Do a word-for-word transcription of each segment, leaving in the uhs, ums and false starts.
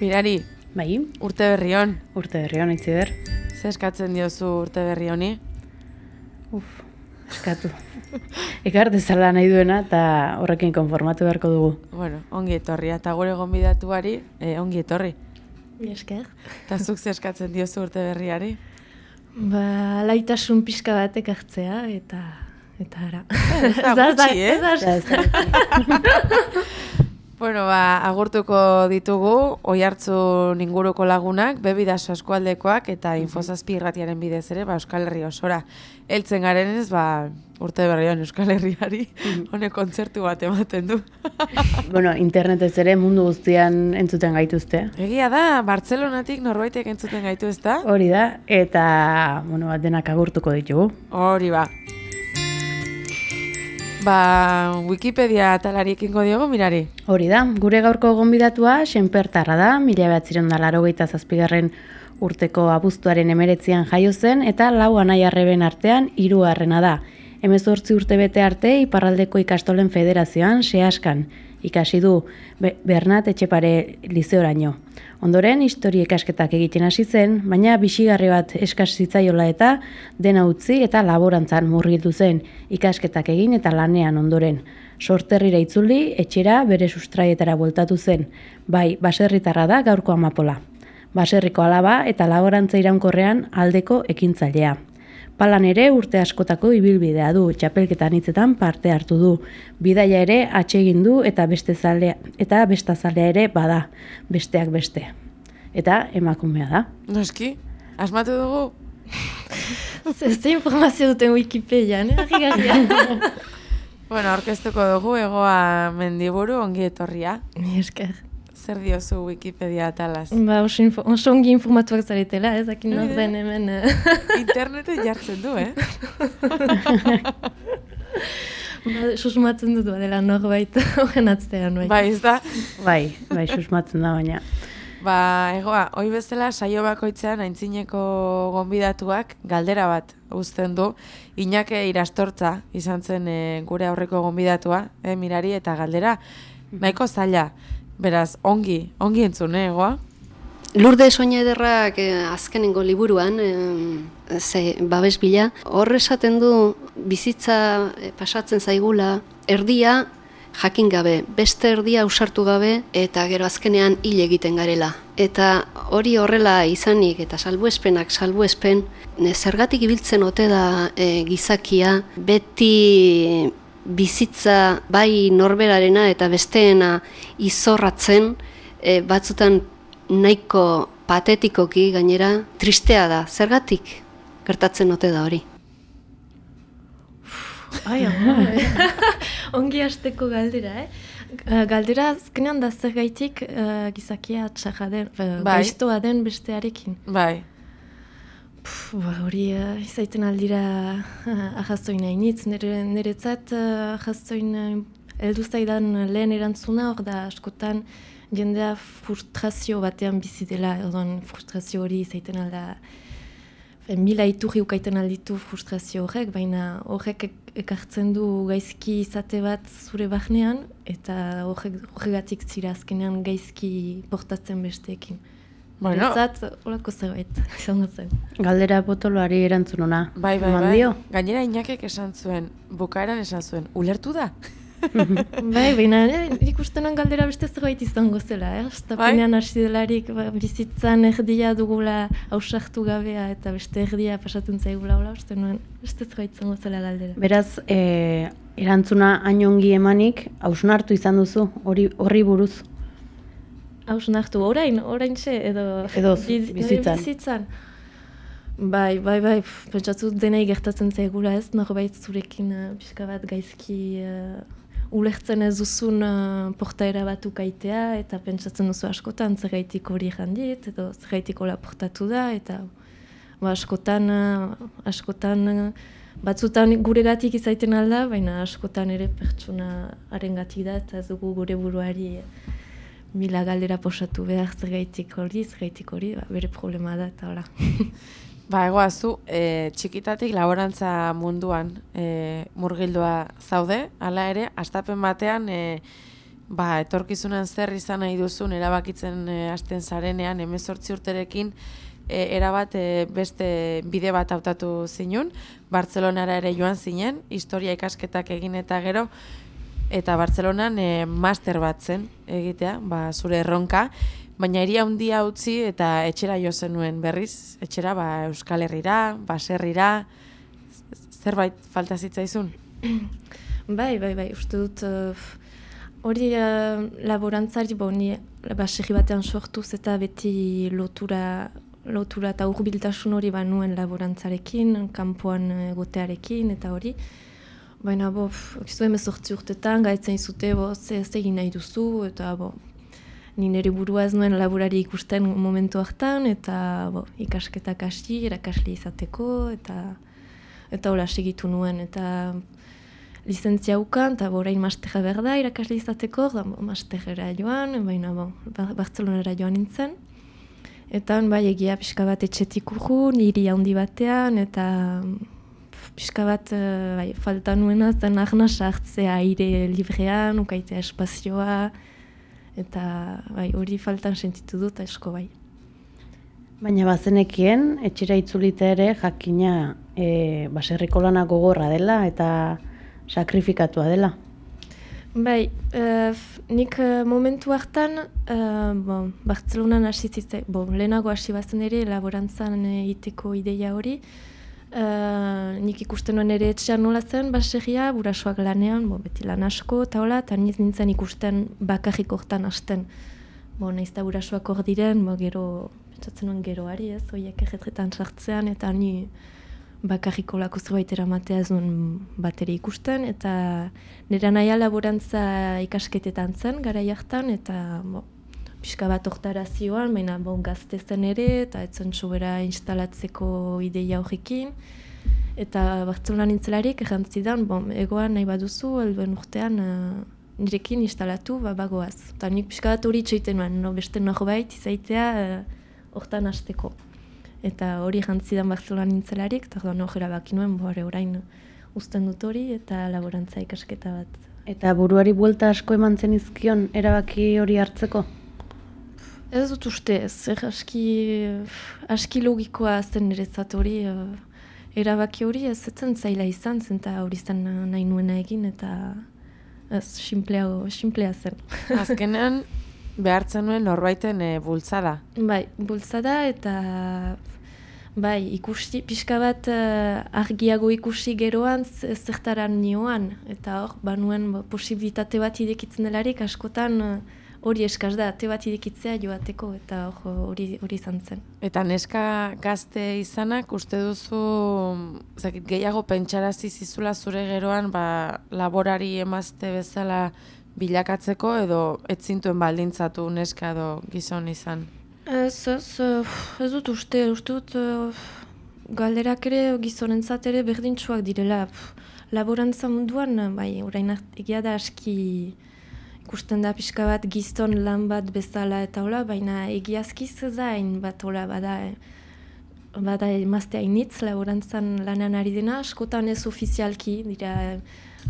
Mirari, Bai, urte berri hon. urte berri hon, Itziber. Ze eskatzen diozu urte berri honi? Uf, eskatu. Ekar dezala nahi duena eta horrekin konformatu beharko dugu. Bueno, ongi etorria, eta gure gonbidatuari, eh, ongi etorri. Mi esker. Eta zuk ze eskatzen diozu urte berriari? Ba, laitasun pixka batek hartzea, eta eta ara. Ez da gutxi, eh? Ez da, Ja, ez da- Bueno, ba, agurtuko ditugu, Oiartzun inguruko lagunak, Bebidaso eskualdekoak eta Infozazpi irratiaren bidez ere, ba, Euskal Herri osora. Heltzen garenez, ba, urte berrian Euskal Herriari, honek kontzertu bat ematen du. Bueno, internetez ere mundu guztian entzuten gaituzte. Egia da, Bartzelonatik norbaitek entzuten gaitu, ez da? Hori da, eta, bueno, bat denak agurtuko ditugu. Hori ba. Ba, Wikipedia atalariekiko diogu, Mirari. Hori da, gure gaurko gonbidatua Senpertarra da, mila bederatziehun eta laurogeita zazpigarren urteko abuztuaren emeretzian jaio zen, eta lau anai arreben artean hirugarrena da. Hemezortzi urte bete arte Iparraldeko ikastolen federazioan Seaskan ikasi du Be- Bernat Etxepare lizeoraino. Ondoren historia ikasketak egiten hasi zen, baina bizigarri bat eskas zitzaiola eta dena utzi eta laborantzan murgildu zen, ikasketak egin eta lanean ondoren. Sorterrira itzuli, etxera bere sustraietara bueltatu zen. Bai, baserritarra da gaurko amapola. Baserriko alaba eta laborantza iraunkorrean aldeko ekintzailea. Palan ere urte askotako ibilbidea du, txapelketan hitzetan parte hartu du. Bidaia ere atsegin du eta beste zalea, eta bestazalea ere bada, besteak beste. Eta emakumea da. Noski, asmatu dugu? ze, ze informazio duten Wikipedian, eh? Harrigarria. Bueno, aurkeztuko dugu Egoa Mendiburu, ongi etorria. Mi esker. Zer diozu Wikipedia atalaz? Ba, oso, info, oso ongi informatuak zaretela, ez dakin nor den hemen. eh. Interneten jartzen du, eh? Ba, susmatzen dut badela norbait horren atzean, bai. Bai, ez da? Bai, bai, susmatzen da baina. Ba, Egoa, hoi bezala saio bakoitzean aintzineko gonbidatuak galdera bat uzten du. Iñake Irastortza izan zen eh, gure aurreko gonbidatua, eh, Mirari, eta galdera nahiko zaila. Beraz, ongi, ongi entzun, eh, Egoa? Lurde Soina Ederrak eh, azkenengo liburuan, eh, ze babes bila, hor esaten du bizitza eh, pasatzen zaigula, erdia jakin gabe, beste erdia ausartu gabe, eta gero azkenean hil egiten garela. Eta hori horrela izanik, eta salbuespenak salbuespen, ne, zergatik ibiltzen ote da eh, gizakia, beti bizitza bai norberarena eta besteena izorratzen, e, batzutan nahiko patetikoki gainera tristea da. Zergatik gertatzen ote da hori? Ai, ama, eh? Ongi hasteko galdera, eh? Uh, Galdera azkenean da zergaitik uh, gizakia txarra den, uh, Bai. gaiztoa den bestearekin. Bai. Pff, ba, hori uh, izaiten aldira uh, ahazoin hainitz, nire, niretzat uh, ahazoin uh, heldu zaidan lehen erantzuna, hor da askotan jendea frustrazio batean bizi dela, ordon frustrazio hori izaiten alda, fe, mila iturri ukaiten alditu frustrazio horrek, baina horrek ek- ekartzen du gaizki izate bat zure barnean, eta horrek, horregatik zira azkenean gaizki portatzen besteekin. Bueno. Niretzat, horako zerbait, izango zen. Galdera potoloari erantzun ona. Bai, bai, Eman bai. dio? Gainera Iñakek esan zuen, bukaeran esan zuen, ulertu da? Bai, baina eh, ikustenan galdera beste zerbait izango zela, eh? Estapenean hasi delarik ba, bizitzan erdia dugula ausartu gabea eta beste erdia pasatzen zaigula, hola, uste nuen beste zerbait izango zela galdera. Beraz, e, erantzuna hain ongi emanik, hausnartu izan duzu, hori horri buruz. Hausnartu, orain, orain xe, edo... Edo biz- bizitzan. bizitzan. Bai, bai, bai, pff, pentsatu denei gertatzen zaigula ez, norbait zurekin uh, pixka bat gaizki uh, ulertzen ez duzun uh, portaera bat ukaitea, eta pentsatzen duzu askotan zergaitik hori jandit, edo zergaitik hola portatu da, eta ba, askotan, uh, askotan uh, batzutan guregatik izaiten alda, baina askotan ere pertsona harengatik da, eta ez dugu gure buruari mila galdera posatu behar zergaitik hori, zergaitik hori, ba, bere problema da, eta hola. Ba, Egoa, zu, e, txikitatik laborantza munduan e, murgildua zaude, hala ere, hastapen batean e, ba, etorkizunan zer izan nahi duzun erabakitzen e, hasten zarenean, hemezortzi urterekin, e, erabat e, beste bide bat hautatu zinun, Bartzelonara ere joan zinen, historia ikasketak egin eta gero, eta Bartzelonan e, master bat zen egitea, ba, zure erronka, baina hiria handia utzi eta etxera jo zenuen berriz, etxera ba, Euskal Herrira, baserrira, zerbait falta zitzaizun? Bai, bai, bai, uste dut, uh, hori uh, laborantzari, bo, ni baserri batean sortuz eta beti lotura, lotura eta hurbiltasun hori banuen laborantzarekin, kanpoan egotearekin eta hori. Baina, bo, egizu hemezortzi urtetan, gaitzen izute, bo, ze ez egin nahi duzu, eta, bo, ni nire burua ez nuen laborari ikusten momentu hartan, eta, bo, ikasketak hasi, erakasle izateko, eta, eta hola segitu nuen, eta lizentzia ukan, eta orain masterra behar da irakasle izateko, da, bo, masterera joan, baina, bo, Bartzelonara joan nintzen. Eta, bai, egia pixka bat etxetik urrun, hiri handi batean, eta pixka bat bai, falta nuena zen arna sartzea aire librean, ukaitea espazioa, eta bai, hori faltan sentitu dut asko bai. Baina bazenekien, etxera itzulita ere jakina e, baserriko lana gogorra dela eta sakrifikatua dela. Bai, uh, nik uh, momentu hartan, uh, bon, Bartzelonan hasi zitzai, bon, lehenago hasi bazen ere laborantzan egiteko ideia hori. Uh, nik ikusten nuen ere etxean nola zen, baserria, burasoak lanean, bon, beti lan asko eta hola, eta niz nintzen ikusten bakarrik hortan hasten. Bon, nahiz eta burasoak hor diren, bon, gero, pentsatzen nuen geroari ez, horiek erretretan sartzean, eta ni bakarriko lako zerbait eramatea ez duen bateri ikusten, eta nire naia laborantza ikasketetan zen, garai hartan, eta bo, pixka bat hortara zioan, baina bon, gazte zen ere, eta etzen sobera instalatzeko ideia horrekin, eta Bartzelonan nintzelarik errantzidan, bon, egoan nahi baduzu, helduen urtean uh, nirekin instalatu ba, bagoaz. Eta nik pixka bat hori itxoiten nuen, no, beste norbait izaitea hortan uh, hasteko. Eta hori jantzidan Bartzelonan nintzelarik, eta hori nojera baki nuen, bore orain uzten dut hori, eta laborantza ikasketa bat. Eta buruari buelta asko eman zen izkion, erabaki hori hartzeko? Ez dut uste ez, er, aski, aski logikoa zen niretzat hori, erabaki hori ez etzen zaila izan zen, eta hori zen nahi nuena egin, eta ez, simplea, simplea zen. Azkenean, behartzen nuen norbaiten e, bultzada. Bai, bultzada eta bai, ikusi, pixka bat uh, argiago ikusi geroan zertaran nioan. Eta hor, banuen posibilitate bat idekitzen delarik, askotan hori uh, eskaz da, ate bat idekitzea joateko, eta hori hori izan zen. Eta neska gazte izanak, uste duzu zakit, gehiago pentsarazi zizula zure geroan ba, laborari emazte bezala bilakatzeko edo ez zintuen baldintzatu neska edo gizon izan? Ez, ez, ez dut uste, uste dut uh, galderak ere gizonentzat ere berdintsuak direla. Laborantza munduan, bai, orain egia da aski ikusten da pixka bat gizon lan bat bezala eta hola, baina egiazkiz zain bat hola bada, bada emazte hainitz laborantzan lanan ari dena, askotan ez ofizialki dira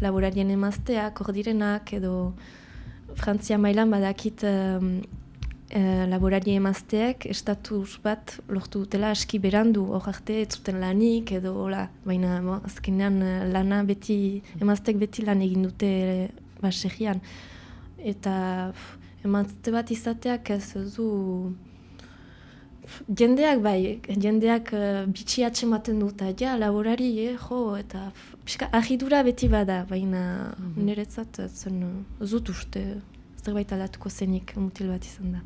laborarien emazteak, hor direnak, edo Frantzia mailan badakit um, e, laborari emazteek estatus bat lortu dutela aski berandu, hor arte ez zuten lanik, edo hola, baina bo, azkenean lana beti, emazteek beti lan egin dute baserrian. Eta emazte bat izateak ez du jendeak bai, jendeak uh, bitxi atxematen dut, ja, laborari, eh, jo, eta pixka ahidura beti bada, baina mm-hmm. niretzat zen ez dut uste zerbait aldatuko zenik mutil bat izan da.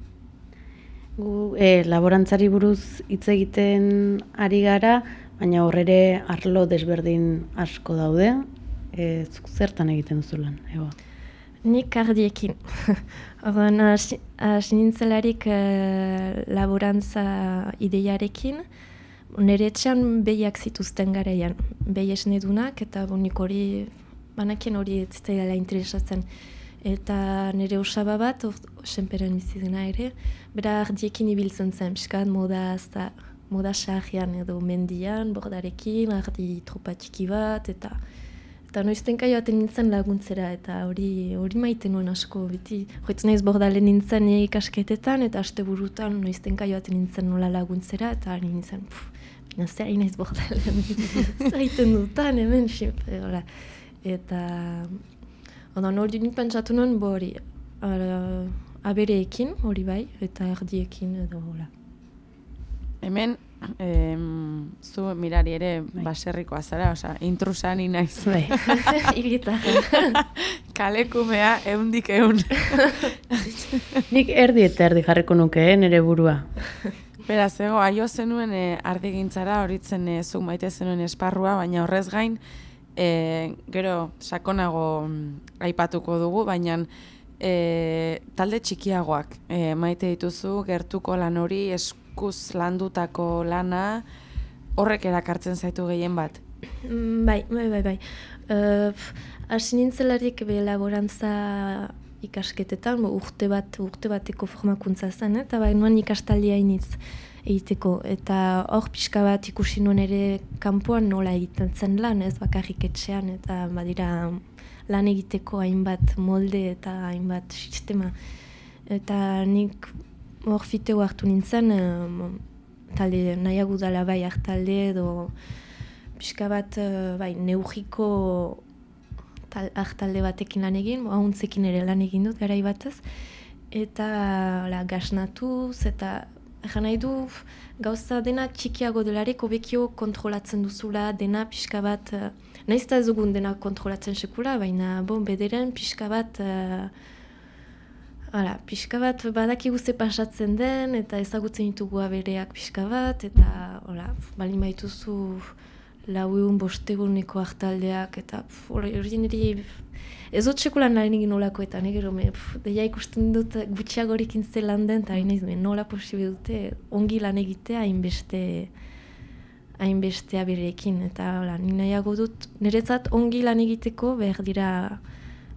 Gu eh, laborantzari buruz hitz egiten ari gara, baina horrere arlo desberdin asko daude, eh, zertan egiten duzu lan, ego? Nik ardiekin. Orduan, hasi nintzelarik uh, laborantza ideiarekin, nire etxean behiak zituzten garaian, behi esnedunak, eta nik hori, banakien hori ez zitzaidala interesatzen. Eta nire osaba bat, senperen bizidena ere, bera ardiekin ibiltzen zen, piskat moda, moda sarrian edo mendian, bordarekin, ardi tropa txiki bat, eta eta noiztenka joaten nintzen laguntzera, eta hori hori maite nuen asko, beti. Joitzen naiz bordalen nintzen ikasketetan, eta asteburutan noiztenka joaten nintzen nola laguntzera, eta ari nintzen, pff, bina zer ari naiz bordalen, zer egiten dutan, hemen, xip, hola. Eta, ondan hori nik pentsatu nuen, bo hori, abereekin, hori bai, eta erdiekin, edo hola. Hemen, em, zu mirari ere baserrikoa zara, oza, intrusa ni naiz. Bai. Irigitarra. Kalekumea eundik eun. Nik erdi eta erdi jarriko nuke, eh, nire burua. Beraz, ego, aio zenuen e, ardigintzara, horitzen e, zuk maite zenuen esparrua, baina horrez gain, e, gero sakonago mm, aipatuko dugu, baina e, talde txikiagoak e, maite dituzu, gertuko lan hori, eskuz landutako lana, horrek erakartzen zaitu gehien bat? Mm, Bai, bai, bai, bai. Uh, Hasi nintzelarik be laborantza ikasketetan, bo, urte bat, urte bateko formakuntza zen, eta bai nuen ikastaldia hainitz egiteko. Eta hor pixka bat ikusi nuen ere kanpoan nola egiten zen lan, ez bakarrik etxean, eta badira lan egiteko hainbat molde eta hainbat sistema. Eta nik hor fiteo hartu nintzen, um, talde nahiago dala bai hartalde edo pixka bat uh, bai neugiko hartalde batekin lan egin, ahuntzekin ere lan egin dut garai batez, eta la, gasnatuz, eta egan nahi du gauza dena txikiago delarik hobekio kontrolatzen duzula, dena pixka bat, uh, nahiz eta ez dugun dena kontrolatzen sekula, baina bon, bederen pixka bat, uh, Hala, pixka bat badakigu ze pasatzen den, eta ezagutzen ditugu abereak pixka bat, eta hola, balin baituzu lau egun bosteguneko hartaldeak, eta hori niri ez dut sekulan lan egin nolakoetan, egero, deia ikusten dut gutxiagorik intze lan den, eta hain nola posible dute ongi lan egitea hainbeste hainbeste abereekin, eta hola, ni nahiago dut, niretzat ongi lan egiteko behar dira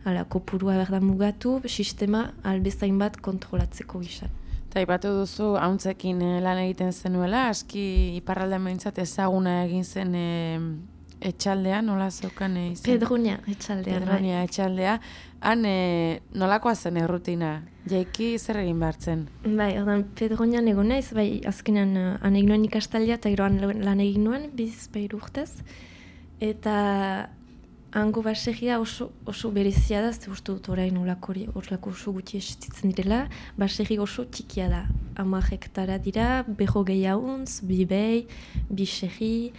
Hala, kopurua behar da mugatu, sistema albezain bat kontrolatzeko gizan. Eta ipatu duzu, hauntzekin lan egiten zenuela, aski iparraldean behintzat ezaguna egin zen e, etxaldean, nola zeukan e, izan? Pedronia etxaldea. Pedronia etxaldea. Han e, nolakoa zen errutina? Jaiki zer egin behar zen? Bai, ordan Pedronian egon naiz, bai, azkenean han egin nuen ikastaldia eta gero lan egin nuen, biz bairu urtez. Eta hango baserria oso, oso berezia da, ze uste dut orain olako oso gutxi esitzen direla, baserri oso txikia da. Hamar hektara dira, beho gehiaguntz, bi behi, bi serri,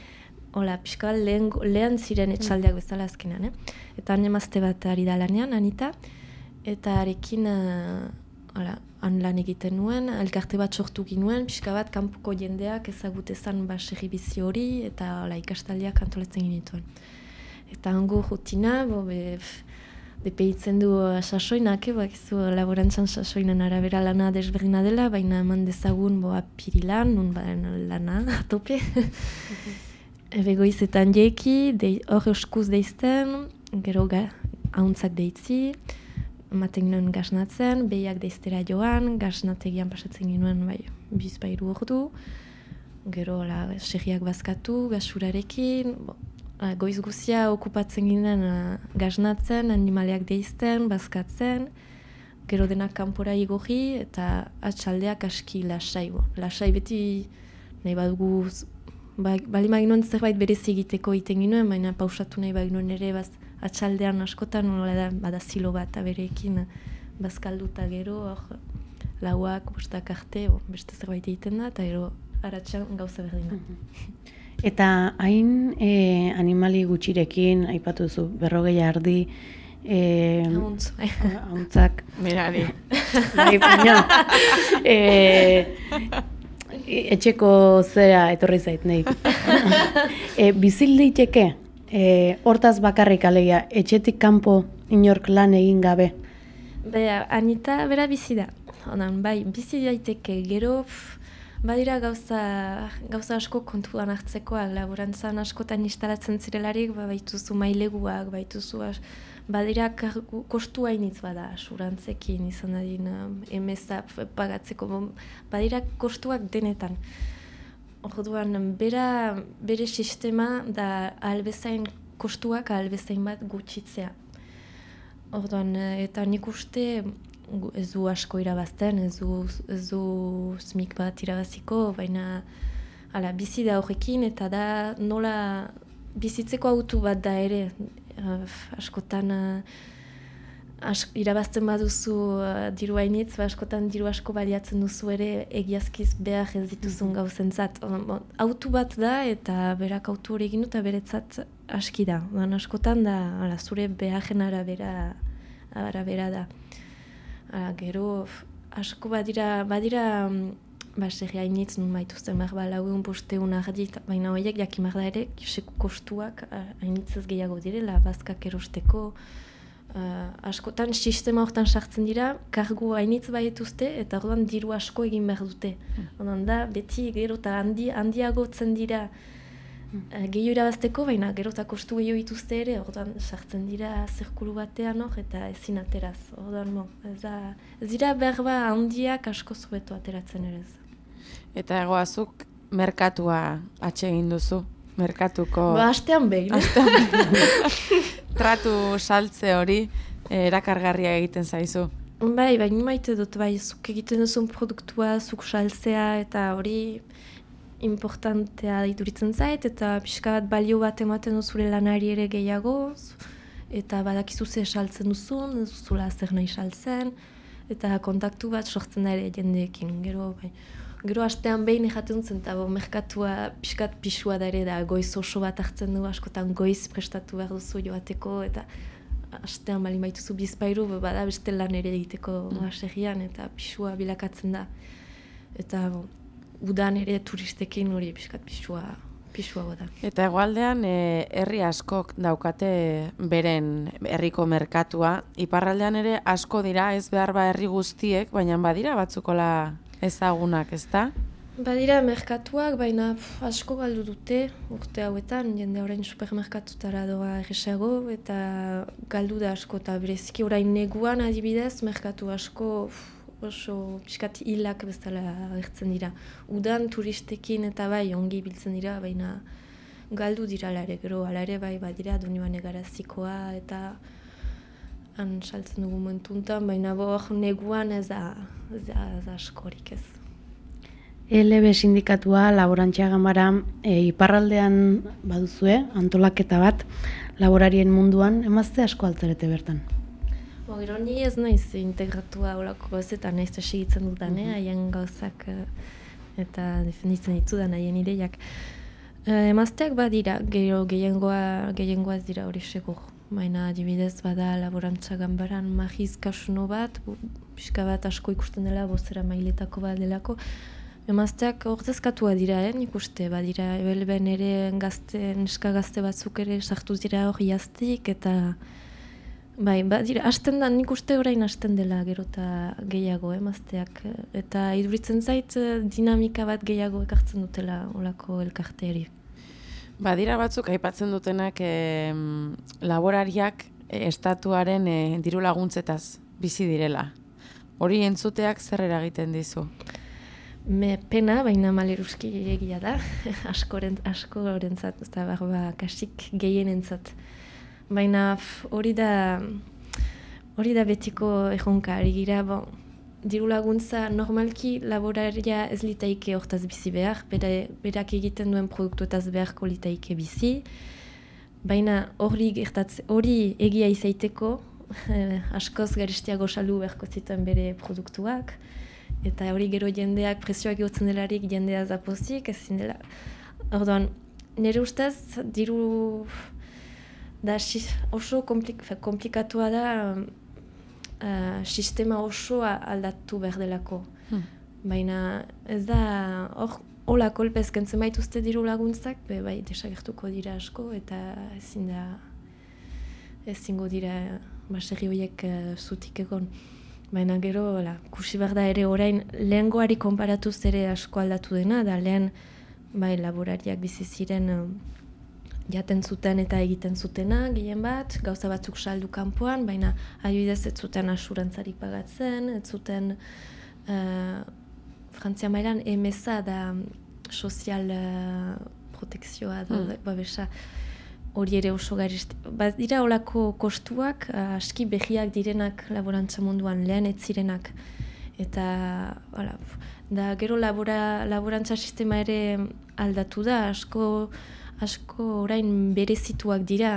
hola, pixka lehen, lehen ziren etxaldeak bezala azkenean, eh? Eta han emazte bat ari da lanean, Anita, eta arekin, uh, hola, han lan egiten nuen, elkarte bat sortu ginuen, pixka bat kanpoko jendeak ezagutezan baserri bizi hori, eta hola, ikastaldiak antolatzen ginituen. Eta hango rutina, bo, be, depeitzen du sasoinak, eh, bakizu laborantzan sasoinan arabera lana desberdina dela, baina eman dezagun bo, apirilan, nun baden lana, atope. Begoizetan jeki, hor euskuz deizten, gero ga, ahuntzak deitzi, ematen ginoen gasnatzen, behiak deiztera joan, gasnategian pasatzen ginoen bai, bizpairu ordu, gero la, serriak bazkatu, gasurarekin, bo, goiz guzia okupatzen ginen uh, gasnatzen, animaleak deizten, bazkatzen, gero denak kanpora igorri eta atxaldeak aski lasai. Bo. Lasai beti nahi badugu, ba, bali maginoen zerbait berezi egiteko egiten ginoen, baina pausatu nahi baginoen ere baz, atxaldean askotan, nola da, bada zilo bat abereekin bazkalduta gero, or, lauak, bostak arte, bo, beste zerbait egiten da, eta gero aratxan gauza berdina. Eta hain e, animali gutxirekin, aipatu zu, berrogei ardi, e, Ahuntz. ahuntzak. Mirari. Bai, baina, e, etxeko zera etorri zait, nahi. e, bizil daiteke, e, hortaz bakarrik alegia, etxetik kanpo inork lan egin gabe. Bera, Anita bera bizi da. Onan, bai, bizi daiteke gero, pff, badira gauza, gauza asko kontuan hartzekoak, laborantzan askotan instalatzen zirelarik, ba, baituzu maileguak, baituzu, as, badira kargu, kostu hainitz bada, asurantzekin izan dadin, emeza pagatzeko, badira kostuak denetan. Orduan, bera, bere sistema da albezain kostuak albezain bat gutxitzea. Orduan, eta nik uste ez du asko irabazten, ez du, ez du smik bat irabaziko, baina ala, bizi da horrekin eta da nola bizitzeko autu bat da ere. Uh, askotan uh, ask, irabazten baduzu uh, diru hainitz, ba, askotan diru asko baliatzen duzu ere egiazkiz behar ez dituzun gauzentzat. Uh, autu bat da eta berak autu hori egin eta beretzat aski da. Ban, askotan da ala, zure beharren arabera, arabera da. Ala, gero asko badira, badira um, ba, serri hainitz nun maituzten behar, ba, laueun bosteun ardit, baina horiek jakimar da ere, kiseko kostuak hainitzez gehiago direla, bazkak erosteko. Uh, askotan sistema hortan sartzen dira, kargu hainitz baietuzte, eta orduan diru asko egin behar dute. Ondan da, beti gero eta handi, handiagotzen dira uh, gehiago irabazteko, baina gero eta kostu gehiago ituzte ere, orduan sartzen dira zirkulu batean hor, eta ezin ateraz. Orduan, bon, ez, da, ez dira berba handiak asko zubeto ateratzen ere ez. Eta egoazuk merkatua atsegin duzu, merkatuko... Ba, astean behin. Astean behin. Tratu saltze hori erakargarria egiten zaizu. Bai, baina maite dut, bai, zuk egiten duzun produktua, zuk saltzea, eta hori importantea iduritzen zait, eta pixka bat balio bat ematen duzure lanari ere gehiago, eta badakizu ze saltzen duzun, ez duzula zer nahi saltzen, eta kontaktu bat sortzen da ere jendeekin, gero, bai. Gero astean behin ejaten zen, eta merkatua pixkat pixua da ere da, goiz oso bat hartzen du, askotan goiz prestatu behar duzu joateko, eta astean bali maituzu bizpairu, bada beste lan ere egiteko baserrian, eta pixua bilakatzen da. Eta bon, udan ere turistekin hori pixkat pixua, pixua da. Eta hegoaldean e, herri askok daukate beren herriko merkatua, iparraldean ere asko dira, ez behar ba herri guztiek, baina badira batzukola ezagunak, ezta? Badira merkatuak, baina pff, asko galdu dute urte hauetan, jende orain supermerkatutara doa erresago, eta galdu da asko, eta bereziki orain neguan adibidez, merkatu asko pff, oso pixkat hilak bezala agertzen dira. Udan turistekin eta bai ongi biltzen dira, baina galdu dira alare, gero alare bai badira Donibane Garazikoa eta han saltzen dugu momentuntan, baina bor neguan ez da, ez da, ez da askorik ez. E L B sindikatua, laborantzia gamara, e, iparraldean baduzue, antolaketa bat, laborarien munduan, emazte asko altzarete bertan? Bo, gero ni ez naiz integratua olako gauzetan, naiz segitzen dudan, eh, haien gauzak eta defenditzen ditudan haien ideiak. E, emazteak badira, gero gehiengoa, gehiengoa ez dira hori segur. Baina adibidez bada laborantza ganbaran Magiz Kasuno bat, pixka bat asko ikusten dela, bozera mailetako bat delako. Emazteak ordezkatua dira, eh, nik uste, badira, ebelben ere gazte, neska gazte batzuk ere sartu dira hori jaztik, eta bai, badira, hasten da, nik uste orain hasten dela gero eta gehiago, emazteak, eta iduritzen zait dinamika bat gehiago ekartzen dutela olako elkarteari. Badira batzuk aipatzen dutenak e, laborariak e, estatuaren e, diru laguntzetaz bizi direla. Hori entzuteak zer eragiten dizu? Me pena, baina maleruski egia da, askoren, askorentzat, ez da barba kasik gehienentzat. Baina hori da, hori da betiko erronka, ari gira, bon, diru laguntza normalki laboraria ez litaike hortaz bizi behar, bera, berak egiten duen produktuetaz beharko litaike bizi, baina hori hori egia izaiteko eh, askoz garestiago saldu beharko zituen bere produktuak, eta hori gero jendeak presioak egotzen delarik jendea zapozik, ezin dela. Orduan, nire ustez, diru da oso komplik, komplikatua da, Uh, sistema osoa aldatu behar delako. Hmm. Baina ez da, hor, hola kolpez kentzen baituzte diru laguntzak, be, bai, desagertuko dira asko, eta ezin da, ezingo dira baserri horiek uh, zutik egon. Baina gero, la, kusi behar da ere orain, lehengoari konparatuz ere asko aldatu dena, da lehen, bai, laborariak bizi ziren uh, jaten zuten eta egiten zutena, gehien bat, gauza batzuk saldu kanpoan, baina adibidez ez zuten asurantzarik pagatzen, ez zuten uh, Frantzia mailan M S A da sozial uh, protekzioa da, mm. babesa. hori ere oso garesti. Ba, dira olako kostuak, aski behiak direnak laborantza munduan, lehen ez zirenak. Eta, hala, da gero labora, laborantza sistema ere aldatu da, asko, asko orain berezituak dira.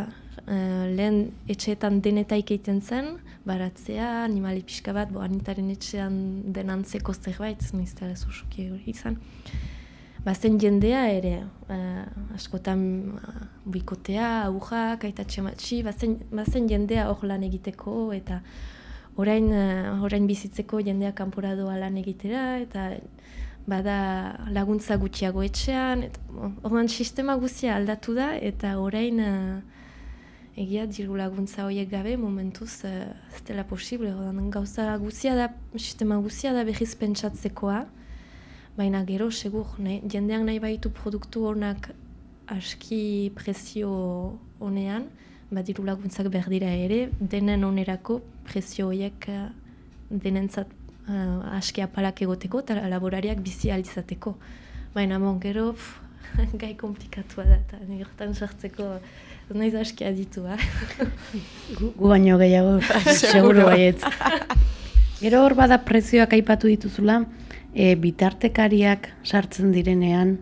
Uh, lehen etxeetan denetaik egiten zen, baratzea, animali pixka bat, bo anitaren etxean denantzeko zerbait, niztela zosoki hori izan. Bazen jendea ere, uh, askotan uh, buikotea, aujak, aitatxe matxi, bazen, bazen jendea hor lan egiteko, eta orain, uh, orain bizitzeko jendea kanpora doa lan egitera, eta bada laguntza gutxiago etxean, eta ordan sistema guzia aldatu da, eta orain uh, egia diru laguntza horiek gabe momentuz uh, ez dela posible, ordan gauza guzia da, sistema guzia da behiz pentsatzekoa, baina gero, segur, nahi, jendeak nahi baitu produktu honak aski prezio honean, badiru laguntzak behar dira ere, denen onerako prezio horiek uh, denentzat uh, aski apalak egoteko eta laborariak bizi alizateko. Baina bon, gero, pff, gai komplikatua da, eta nirtan sartzeko ez nahiz aski aditu, ba? Gu, gu baino gehiago, seguru baietz. Gero hor bada prezioak aipatu dituzula, e, bitartekariak sartzen direnean,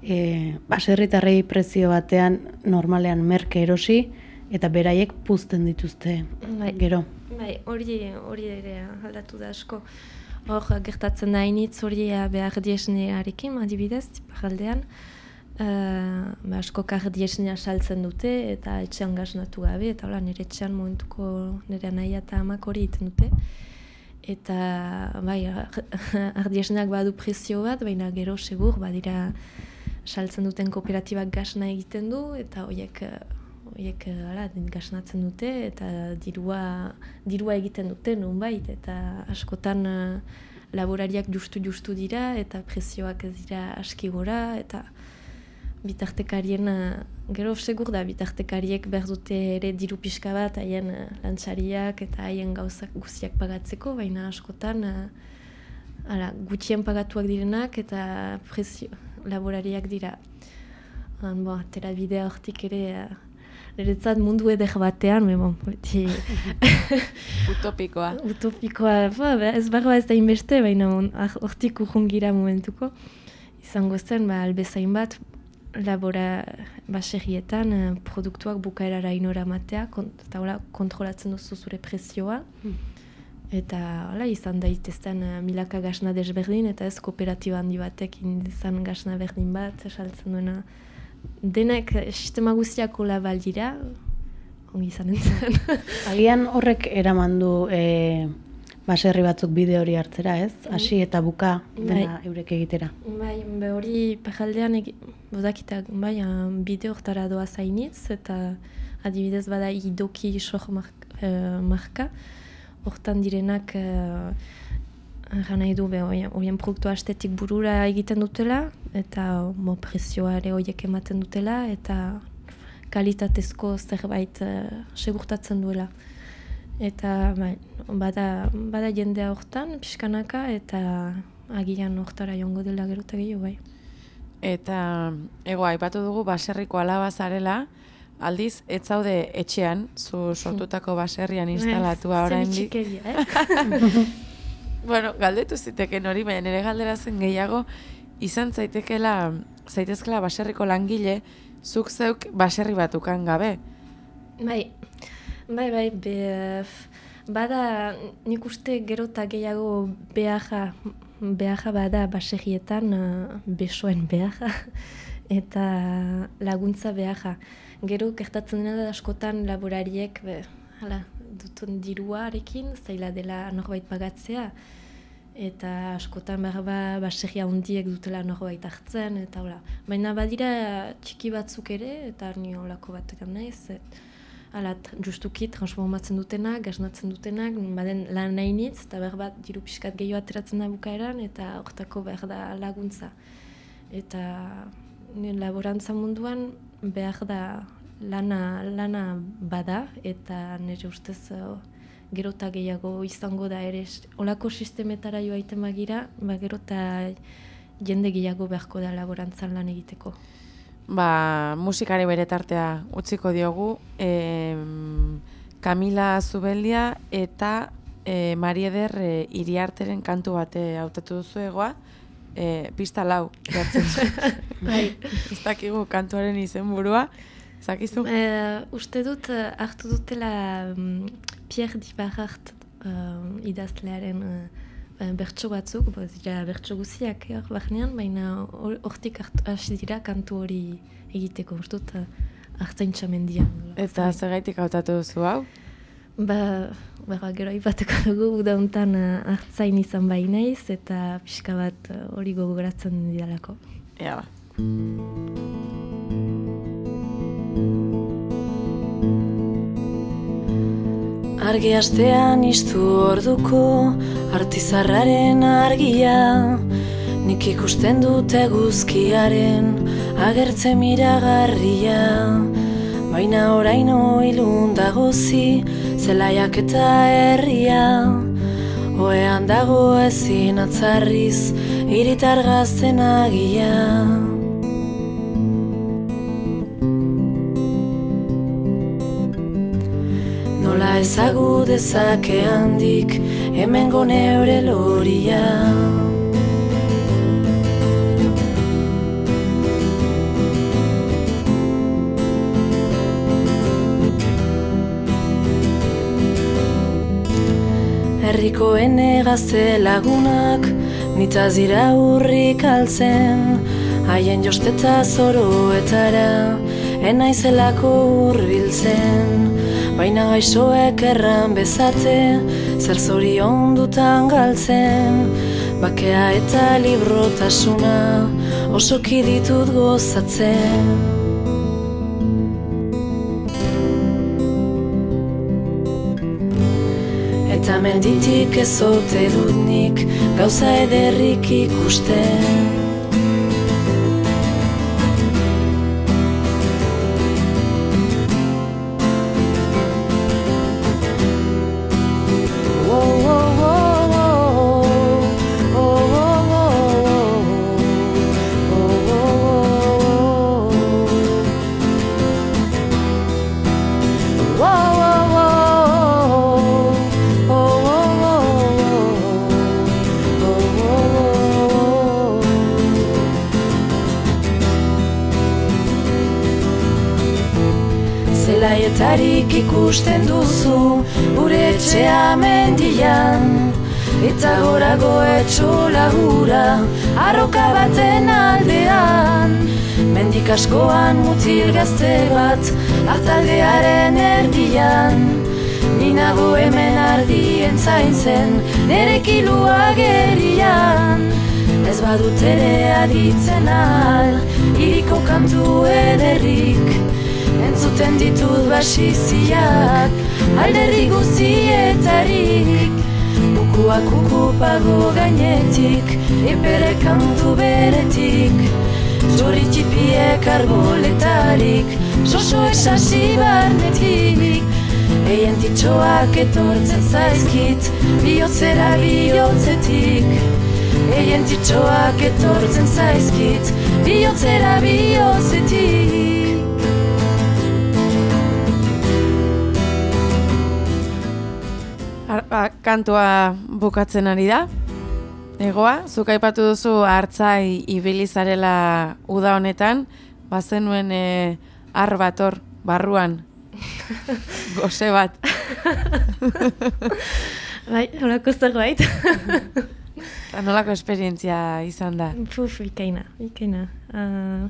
e, baserritarrei prezio batean normalean merke erosi, eta beraiek puzten dituzte, bai, gero. Bai, hori, hori ere aldatu da asko. Hor gertatzen da initz hori behar diesnearekin, adibidez, tiparaldean. Uh, ba, asko kar diesnea saltzen dute eta etxean gaznatu gabe, eta hola, nire etxean momentuko nire nahi eta amak hori egiten dute. Eta bai, ardiesneak badu prezio bat, baina gero segur, badira saltzen duten kooperatibak gasna egiten du, eta horiek horiek hala gaznatzen dute, eta dirua, dirua egiten dute nonbait, eta askotan uh, laborariak justu-justu dira, eta prezioak ez dira aski gora, eta bitartekarien, uh, gero segur da, bitartekariek behar dute ere diru pixka bat, haien uh, lantzariak eta haien gauzak guziak pagatzeko, baina askotan uh, ala, gutxien pagatuak direnak eta prezio laborariak dira. Han, bo, atera bidea hortik ere, uh, niretzat mundu eder batean, me bon, beti... Utopikoa. Utopikoa, ba, ez barroa ez da inbeste, baina hortik urrungira momentuko. Izango zen, ba, albezain bat, labora baserrietan uh, produktuak bukaerara inora matea, kont eta hola, kontrolatzen duzu zure prezioa. Hmm. Eta hola, izan daitezten uh, milaka gasna desberdin, eta ez kooperatiba handi batek izan gasna berdin bat, esaltzen duena. Denek sistema guztiako labal dira, ongi izan entzen. Agian horrek eraman du e, baserri batzuk bide hori hartzera, ez? Hasi eta buka dena bai, eurek egitera. Bai, be hori pajaldean bodakitak, bai, bide hortara doa zainitz, eta adibidez bada idoki soh marka, uh, marka. Hortan direnak uh, gana edu be horien produktu astetik burura egiten dutela, eta mo prezioa ere horiek ematen dutela, eta kalitatezko zerbait uh, segurtatzen duela. Eta bai, bada, bada jendea hortan, pixkanaka, eta agian hortara joango dela gero eta gehiago bai. Eta, ego, aipatu dugu baserriko alaba zarela, aldiz, ez zaude etxean, zu sortutako baserrian instalatua oraindik. Zer itxikeria, eh? Bueno, galdetu ziteken hori, baina nire galdera zen gehiago, izan zaitekela, zaitezkela baserriko langile, zuk zeuk baserri batukan gabe. Bai, bai, bai, be, bada nik uste gero eta gehiago beharra, beharra bada baserrietan, uh, besoen beharra, eta laguntza beharra. Gero gertatzen dena da askotan laborariek, be, hala, dutun diruarekin, zaila dela norbait pagatzea, eta askotan behar ba, baserria hundiek dutela norbait hartzen, eta hola. Baina badira txiki batzuk ere, eta ni holako batekan naiz, hala, justuki transformatzen dutenak, gaznatzen dutenak, baden lan nahi nitz, eta behar bat diru pixkat gehiago ateratzen da bukaeran, eta hortako behar da laguntza. Eta laborantza munduan behar da lana, lana bada, eta nire ustez uh, gero eta gehiago izango da ere olako sistemetara joa itemagira, ba, gero eta jende gehiago beharko da laborantzan lan egiteko. ba, musikari bere tartea utziko diogu, e, Kamila Zubeldia eta e, Marieder e, Iriarteren kantu bate hautatu duzu egoa, e, pista lau, jartzen. Bai. Ez dakigu kantuaren izenburua, zakizu? Uh, uste dut uh, hartu dutela um, Pierre Dibarart uh, idazlearen uh, bertso batzuk, ja, bertso guziak hor barnean, baina hortik hasi dira kantu hori egiteko, uste dut uh, Artzaintza mendian. Eta zergaitik hautatu duzu hau? Ba, ba gero aipatuko dugu, uda hontan uh, artzain izan bai naiz, eta pixka bat hori uh, gogoratzen didalako. Ea ba. Argi astean iztu orduko artizarraren argia, nik ikusten dut eguzkiaren agertze miragarria, baina oraino ilun dagozi zelaiak eta herria, oean dago ezin atzarriz hiritar gazten agia. Nola ezagu dezake handik hemengo neure loria. Herrikoen gazte lagunak nitaz dira urrik altzen, haien josteta zoroetara enaizelako hurbiltzen. Baina gaixoek erran bezate, zer zorion dutan galtzen, bakea eta librotasuna osoki ditut gozatzen. Eta menditik ezote dut nik gauza ederrik ikusten. Zelaetarik ikusten duzu gure etxea mendian, eta gorago etxola hura arroka baten aldean. Mendik askoan mutil gazte bat hartaldearen erdian, ninago hemen ardien zaintzen nere kilua gerian. Ez badut ere aditzen al hiriko kantu ederrik, entzuten ditut basiziak alderdi guztietarik. Kukuak kukupago gainetik, epere kantu beretik, txoritipiek arboletarik, sosoek sasi barnetik. Eien titxoak etortzen zaizkit, bihotzera bihotzetik. Eien titxoak etortzen zaizkit, bihotzera bihotzetik. Kantua bukatzen ari da. Egoa, zuk aipatu duzu hartzai ibili zarela uda honetan, bazenuen e, ar bat hor, barruan, goze bat. Bai, nolako zerbait. Nolako esperientzia izan da? Puf, ikaina, ikaina. Uh,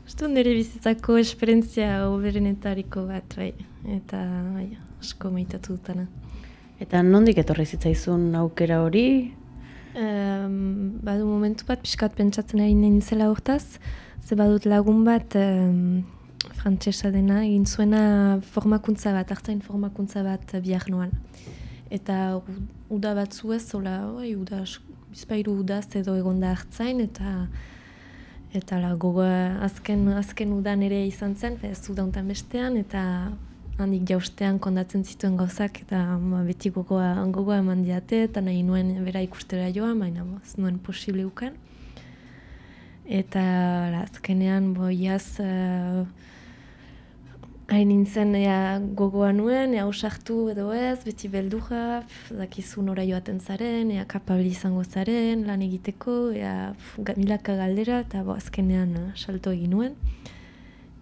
Ustu nire bizitzako esperientzia oberenetariko bat, bai. Eta, bai, asko maitatu dutana. Eta nondik etorri zitzaizun aukera hori? Um, badu momentu bat, pixkat pentsatzen ari nintzela hortaz, ze badut lagun bat um, frantsesa dena, egin zuena formakuntza bat, hartzain formakuntza bat Biarnoan. Eta uda batzu ez, zola, oi, uda, bizpairu udaz edo egonda hartzain, eta eta la, gogoa azken, azken udan ere izan zen, ez uda hontan bestean, eta handik jaustean kondatzen zituen gauzak, eta ma, beti gogoa, gogoa eman diate, eta nahi nuen bera ikustera joan, baina ez nuen posible ukan. Eta la, azkenean boiaz uh, hain nintzen ea gogoa nuen, ea usartu edo ez, beti beldurra, dakizu nora joaten zaren, ea kapabli izango zaren, lan egiteko, ea pf, milaka galdera, eta bo, azkenean uh, salto egin nuen.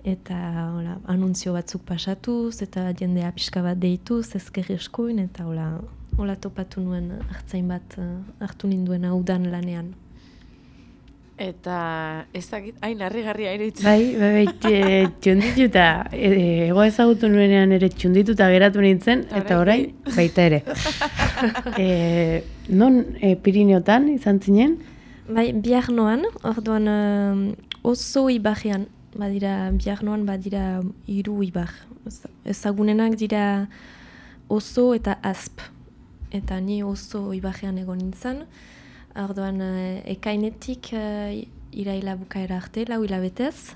Eta hola, anuntzio batzuk pasatuz, eta jendea pixka bat deituz, ezkerri eskuin, eta hola, hola topatu nuen hartzain bat uh, hartu ninduen udan lanean. Eta ez dakit, hain harrigarria iruditzen. Bai, bai, bai, txundituta, ego ezagutu nuenean ere txundituta geratu nintzen, eta orain, baita ere. e, non e, Pirineotan izan zinen? Bai, Biarnoan, orduan uh, oso ibarrean, badira, Biarnoan badira hiru ibar. Ezagunenak dira oso eta asp. Eta ni oso ibarrean egon nintzen. Orduan, ekainetik uh, iraila bukaera arte, lau hilabetez.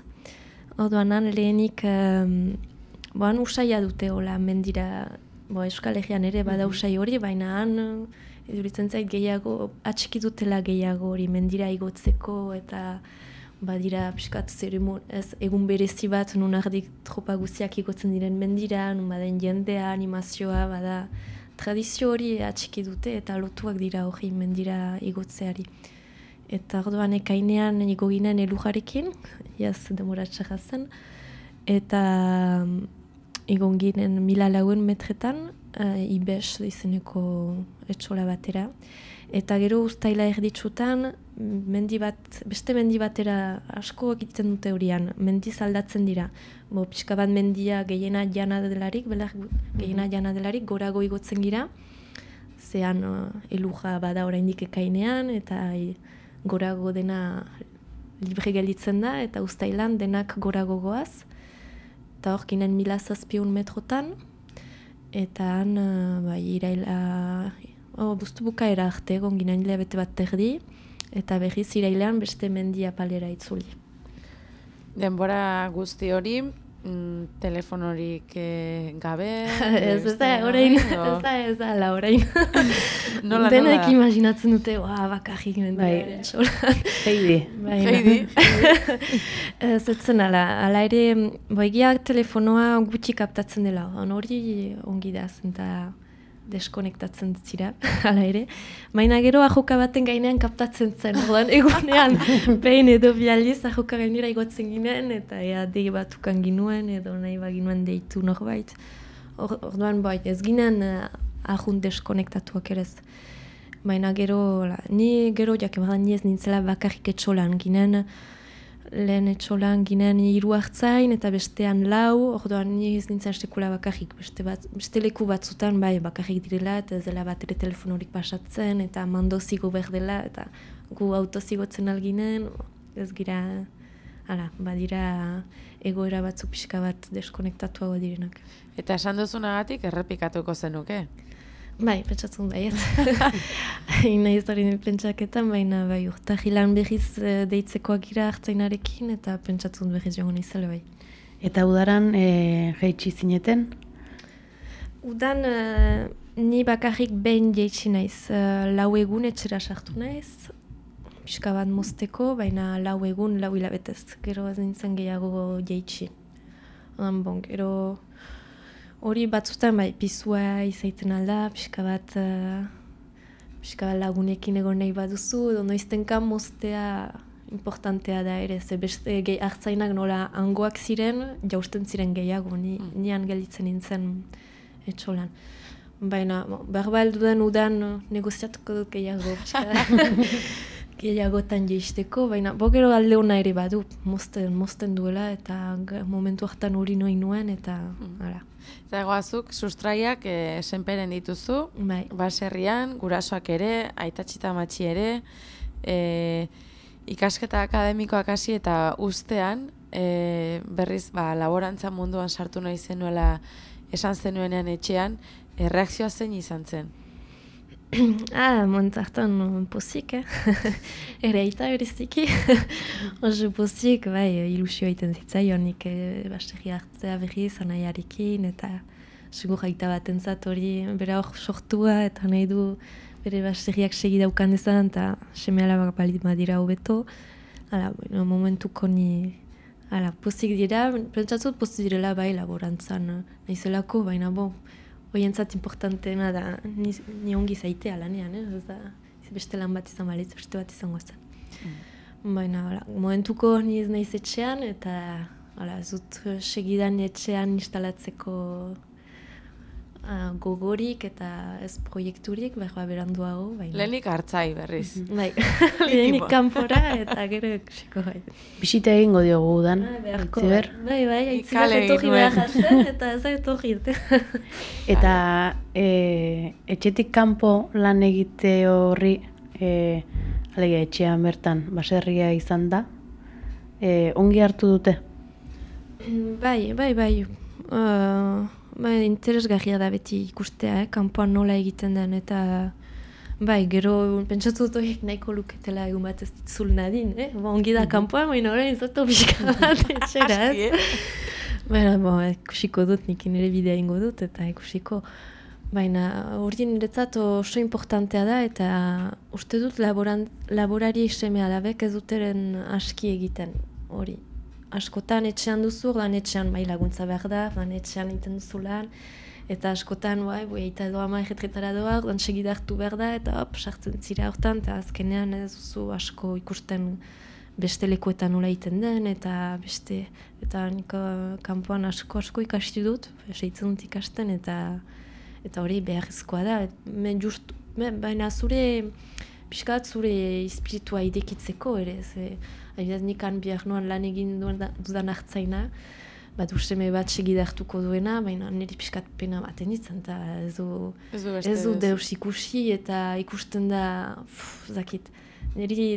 Orduan, han lehenik, um, boan usaia dute, hola, mendira, bo, Euskal Herrian ere bada usai hori, baina han, eduritzen zait gehiago, atxiki dutela gehiago hori, mendira igotzeko, eta badira, piskat, zeremon, ez, egun berezi bat, nun ardik tropa guziak igotzen diren mendira, nun baden jendea, animazioa, bada, tradizio hori atxiki dute eta lotuak dira hori mendira igotzeari. Eta orduan ekainean igo ginen elujarekin, jaz demora txarra zen, eta um, igo ginen mila lauen metretan, uh, ibes izeneko etxola batera. Eta gero uztaila erditsutan, mendi bat, beste mendi batera asko egiten dute horian, mendiz aldatzen dira. Bo, pixka bat mendia gehiena jana delarik, belar, gehiena jana delarik, gorago igotzen gira. Zean uh, eluja bada oraindik ekainean, eta e, gorago dena libre gelditzen da, eta uztailan denak gorago goaz. Eta hor ginen mila zazpiun metrotan, eta han, uh, bai, iraila... Oh, buztu bukaera arte, egon ginen hilabete bat terdi, eta berriz irailean beste mendia palera itzuli. Denbora guzti hori, mm, telefonorik eh, gabe... ez, ez da, orain, ez da, ez da, la orain. Nola, Denek nola? imaginatzen dute, oa, bakarrik mendia. Heidi. Heidi. Ez etzen ala, ala ere, boegiak telefonoa gutxi kaptatzen dela, hori ongi da, zenta... deskonektatzen zira, hala ere. Baina gero ajoka baten gainean kaptatzen zen, orduan egunean behin edo bializ ajoka gainera igotzen ginen, eta ea dei batukan ginuen, edo nahi baginuen deitu norbait. Orduan bai, ez ginen uh, ahun deskonektatuak ere ez. Baina gero, la, ni gero jakebadan ni ez nintzela bakarrik etxolan ginen, lehen etxolan ginen hiru hartzain eta bestean lau, orduan ni ez nintzen sekula bakarrik, beste, bat, beste leku batzutan bai bakarrik direla, eta ez dela bat ere telefonorik pasatzen, eta mando zigo behar dela, eta gu auto zigotzen alginen, ez gira, hala, badira egoera batzu pixka bat deskonektatuago direnak. Eta esan duzunagatik errepikatuko zenuke? Bai, pentsatzen baiet. Nahi ez hori pentsaketan, baina bai urtahilan berriz deitzekoak gira hartzainarekin, eta pentsatzen berriz joan izale bai. Eta udaran e, jaitsi zineten? Udan uh, ni bakarrik behin jaitsi naiz. Uh, lau egun etxera sartu naiz, pixka bat mozteko, baina lau egun, lau hilabetez. Gero ez nintzen gehiago jaitsi. Odan bon, gero... Hori batzutan bai, pizua izaiten alda, pixka bat, uh, pixka bat lagunekin egon nahi baduzu, edo noiztenka moztea importantea da ere, ze beste gehi hartzainak nola hangoak ziren, jausten ziren gehiago, ni, mm. nian gelditzen nintzen etxolan. Baina, behar baldu den udan negoziatuko dut gehiago, gehiagotan jeisteko, baina bo gero alde hona ere badu, mozten, mozten duela, eta momentu hartan hori noin nuen, eta hala. Eta egoazuk, sustraiak e, senperen dituzu, bai. Baserrian, gurasoak ere, aitatxita matxi ere, e, ikasketa akademikoak hasi eta ustean, e, berriz ba, laborantza munduan sartu nahi zenuela esan zenuenean etxean, e, reakzioa zein izan zen? Ah, montzartan pozik, eh? Ere aita beriziki. Oso pozik, bai, ilusio egiten zitzaion, nik eh, baserri hartzea berriz, anaiarekin, eta segur aita bat entzat hori bera hor sortua, eta nahi du bere baserriak segi daukan dezan, eta seme alabak balit badira hobeto. Hala, bueno, momentuko ni, hala, pozik dira, pentsatzut pozik direla bai laborantzan, nahizelako, baina bo, hoientzat importanteena da, ni, ni ongi zaitea lanean, eh? Ez da, beste lan bat izan balitz, beste bat izango zen. Mm. Baina, hala, momentuko ni ez naiz etxean, eta, hala, zut segidan etxean instalatzeko Uh, gogorik eta ez proiekturik, behar beranduago. Baina. Lehenik hartzai berriz. Mm-hmm. Bai, lehenik kanpora eta gero ikusiko bai. Bisita egingo diogu udan. Ah, beharko, bai, bai, bai, aitzilak etorri behar jazen eta ez etorri. Eta e, etxetik kanpo lan egite horri, e, alegia etxean bertan, baserria izan da, e, ongi hartu dute? Bai, bai, bai. Uh, Ba, interesgarria da beti ikustea, eh? Kanpoan nola egiten den, eta bai, gero pentsatu dut horiek nahiko luketela egun bat ez ditzul nadin, eh? Ba, ongi da kanpoan, baina orain zato pixka bat etxera, ez? Baina, bo, ikusiko dut, nik nire bidea ingo dut, eta ikusiko. Baina, hori niretzat oso importantea da, eta uste dut laboran, laborari seme alabek ez duteren aski egiten hori. Askotan etxean duzu, lan etxean bai laguntza behar da, lan etxean egiten duzu lan, eta askotan, bai, boi, eta doa ma erretretara doa, lan segida hartu behar da, eta hop, sartzen zira hortan, eta azkenean ez duzu asko ikusten beste lekuetan nola egiten den, eta beste, eta niko kanpoan asko asko ikasti dut, seitzen dut ikasten, eta eta hori beharrezkoa da, men just, men, baina zure, pixkat zure espiritua idekitzeko ere, ze, adibidez nikan bihar noan lan egin dudan hartzaina, bat usteme bat segida hartuko duena, baina niri pixkat pena baten ditzen, eta ez du, ez du deus ikusi, eta ikusten da, pff, zakit, niri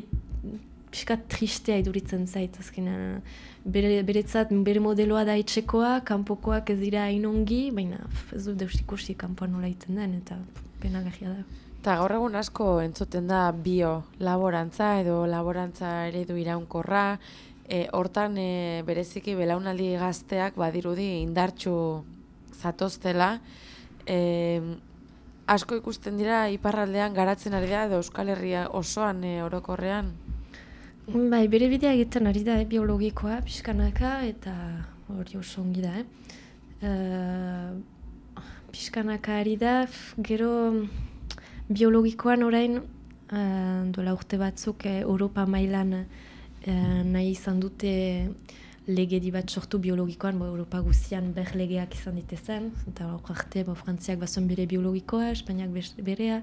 pixkat tristea iduritzen zait, azkenean, bere, beretzat, bere modeloa da etxekoa, kanpokoak ez dira inongi, baina pff, ez du deus ikusi kanpoan nola egiten den, eta pena gajia da. Eta gaur egun asko entzuten da bio-laborantza edo laborantza eredu iraunkorra, e, hortan e, bereziki belaunaldi gazteak badirudi indartsu zatoztela, e, asko ikusten dira iparraldean garatzen ari da edo Euskal Herria osoan e, orokorrean? Bai, bere bidea egiten ari da, eh, biologikoa, pixkanaka, eta hori oso ongi da, eh. Uh, pixkanaka ari da, gero biologikoan orain, uh, dola urte batzuk, eh, Europa mailan uh, nahi izan dute legedi bat sortu biologikoan, bo Europa guzian ber legeak izan ditezen, eta hor arte, bo Frantziak bazuen bere biologikoa, Espainiak berea,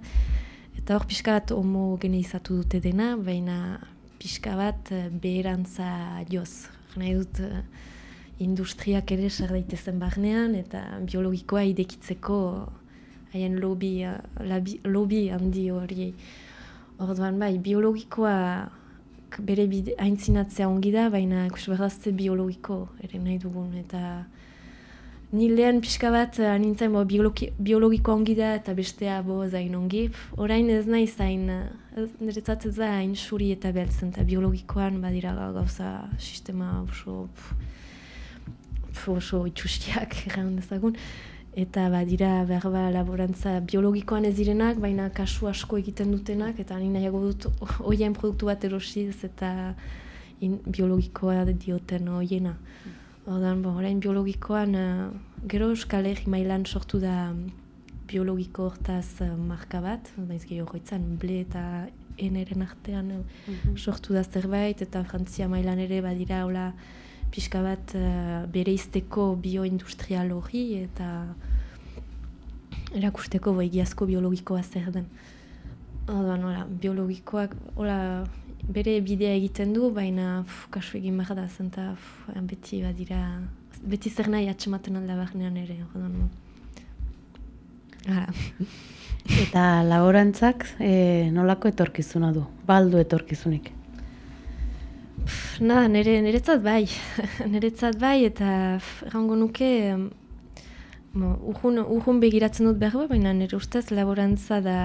eta hor pixka bat homogeneizatu dute dena, baina pixka bat beherantza joz. Nahi dut uh, industriak ere sar daitezen barnean, eta biologikoa idekitzeko haien lobby, labi, lobby handi hori. Orduan bai, biologikoa bere bide, aintzinatzea ongi da, baina ikusberdazte biologiko ere nahi dugun. Eta ni lehen pixka bat nintzen bo, biologi, biologikoa ongi da eta bestea bo zain ongi. Orain ez nahi zain, niretzat ez da hain suri eta beltzen, eta biologikoan badira gauza sistema oso, oso itxustiak erran dezagun. Eta badira behar ba laborantza biologikoan ez direnak, baina kasu asko egiten dutenak, eta ni nahiago dut hoien produktu bat erosiz eta in, biologikoa dioten hoiena. Ordan, bon, orain biologikoan, uh, gero Euskal Herri mailan sortu da biologiko hortaz uh, marka bat, baiz gehiago goitzan, ble eta eneren artean uh, mm-hmm. sortu da zerbait, eta Frantzia mailan ere badira hola pixka bat uh, bereizteko bioindustrial hori eta erakusteko egiazko biologikoa zer den. Orduan, hola, biologikoak hola, bere bidea egiten du, baina pf, kasu egin behar da, zenta pf, beti badira, beti zer nahi atxematen alda barnean ere. Orduan, hala. Eta laborantzak e, nolako etorkizuna du? Baldu etorkizunik? Na, nire, niretzat bai, niretzat bai, eta errango nuke, urhun, urhun begiratzen dut behar, baina nire ustez laborantza da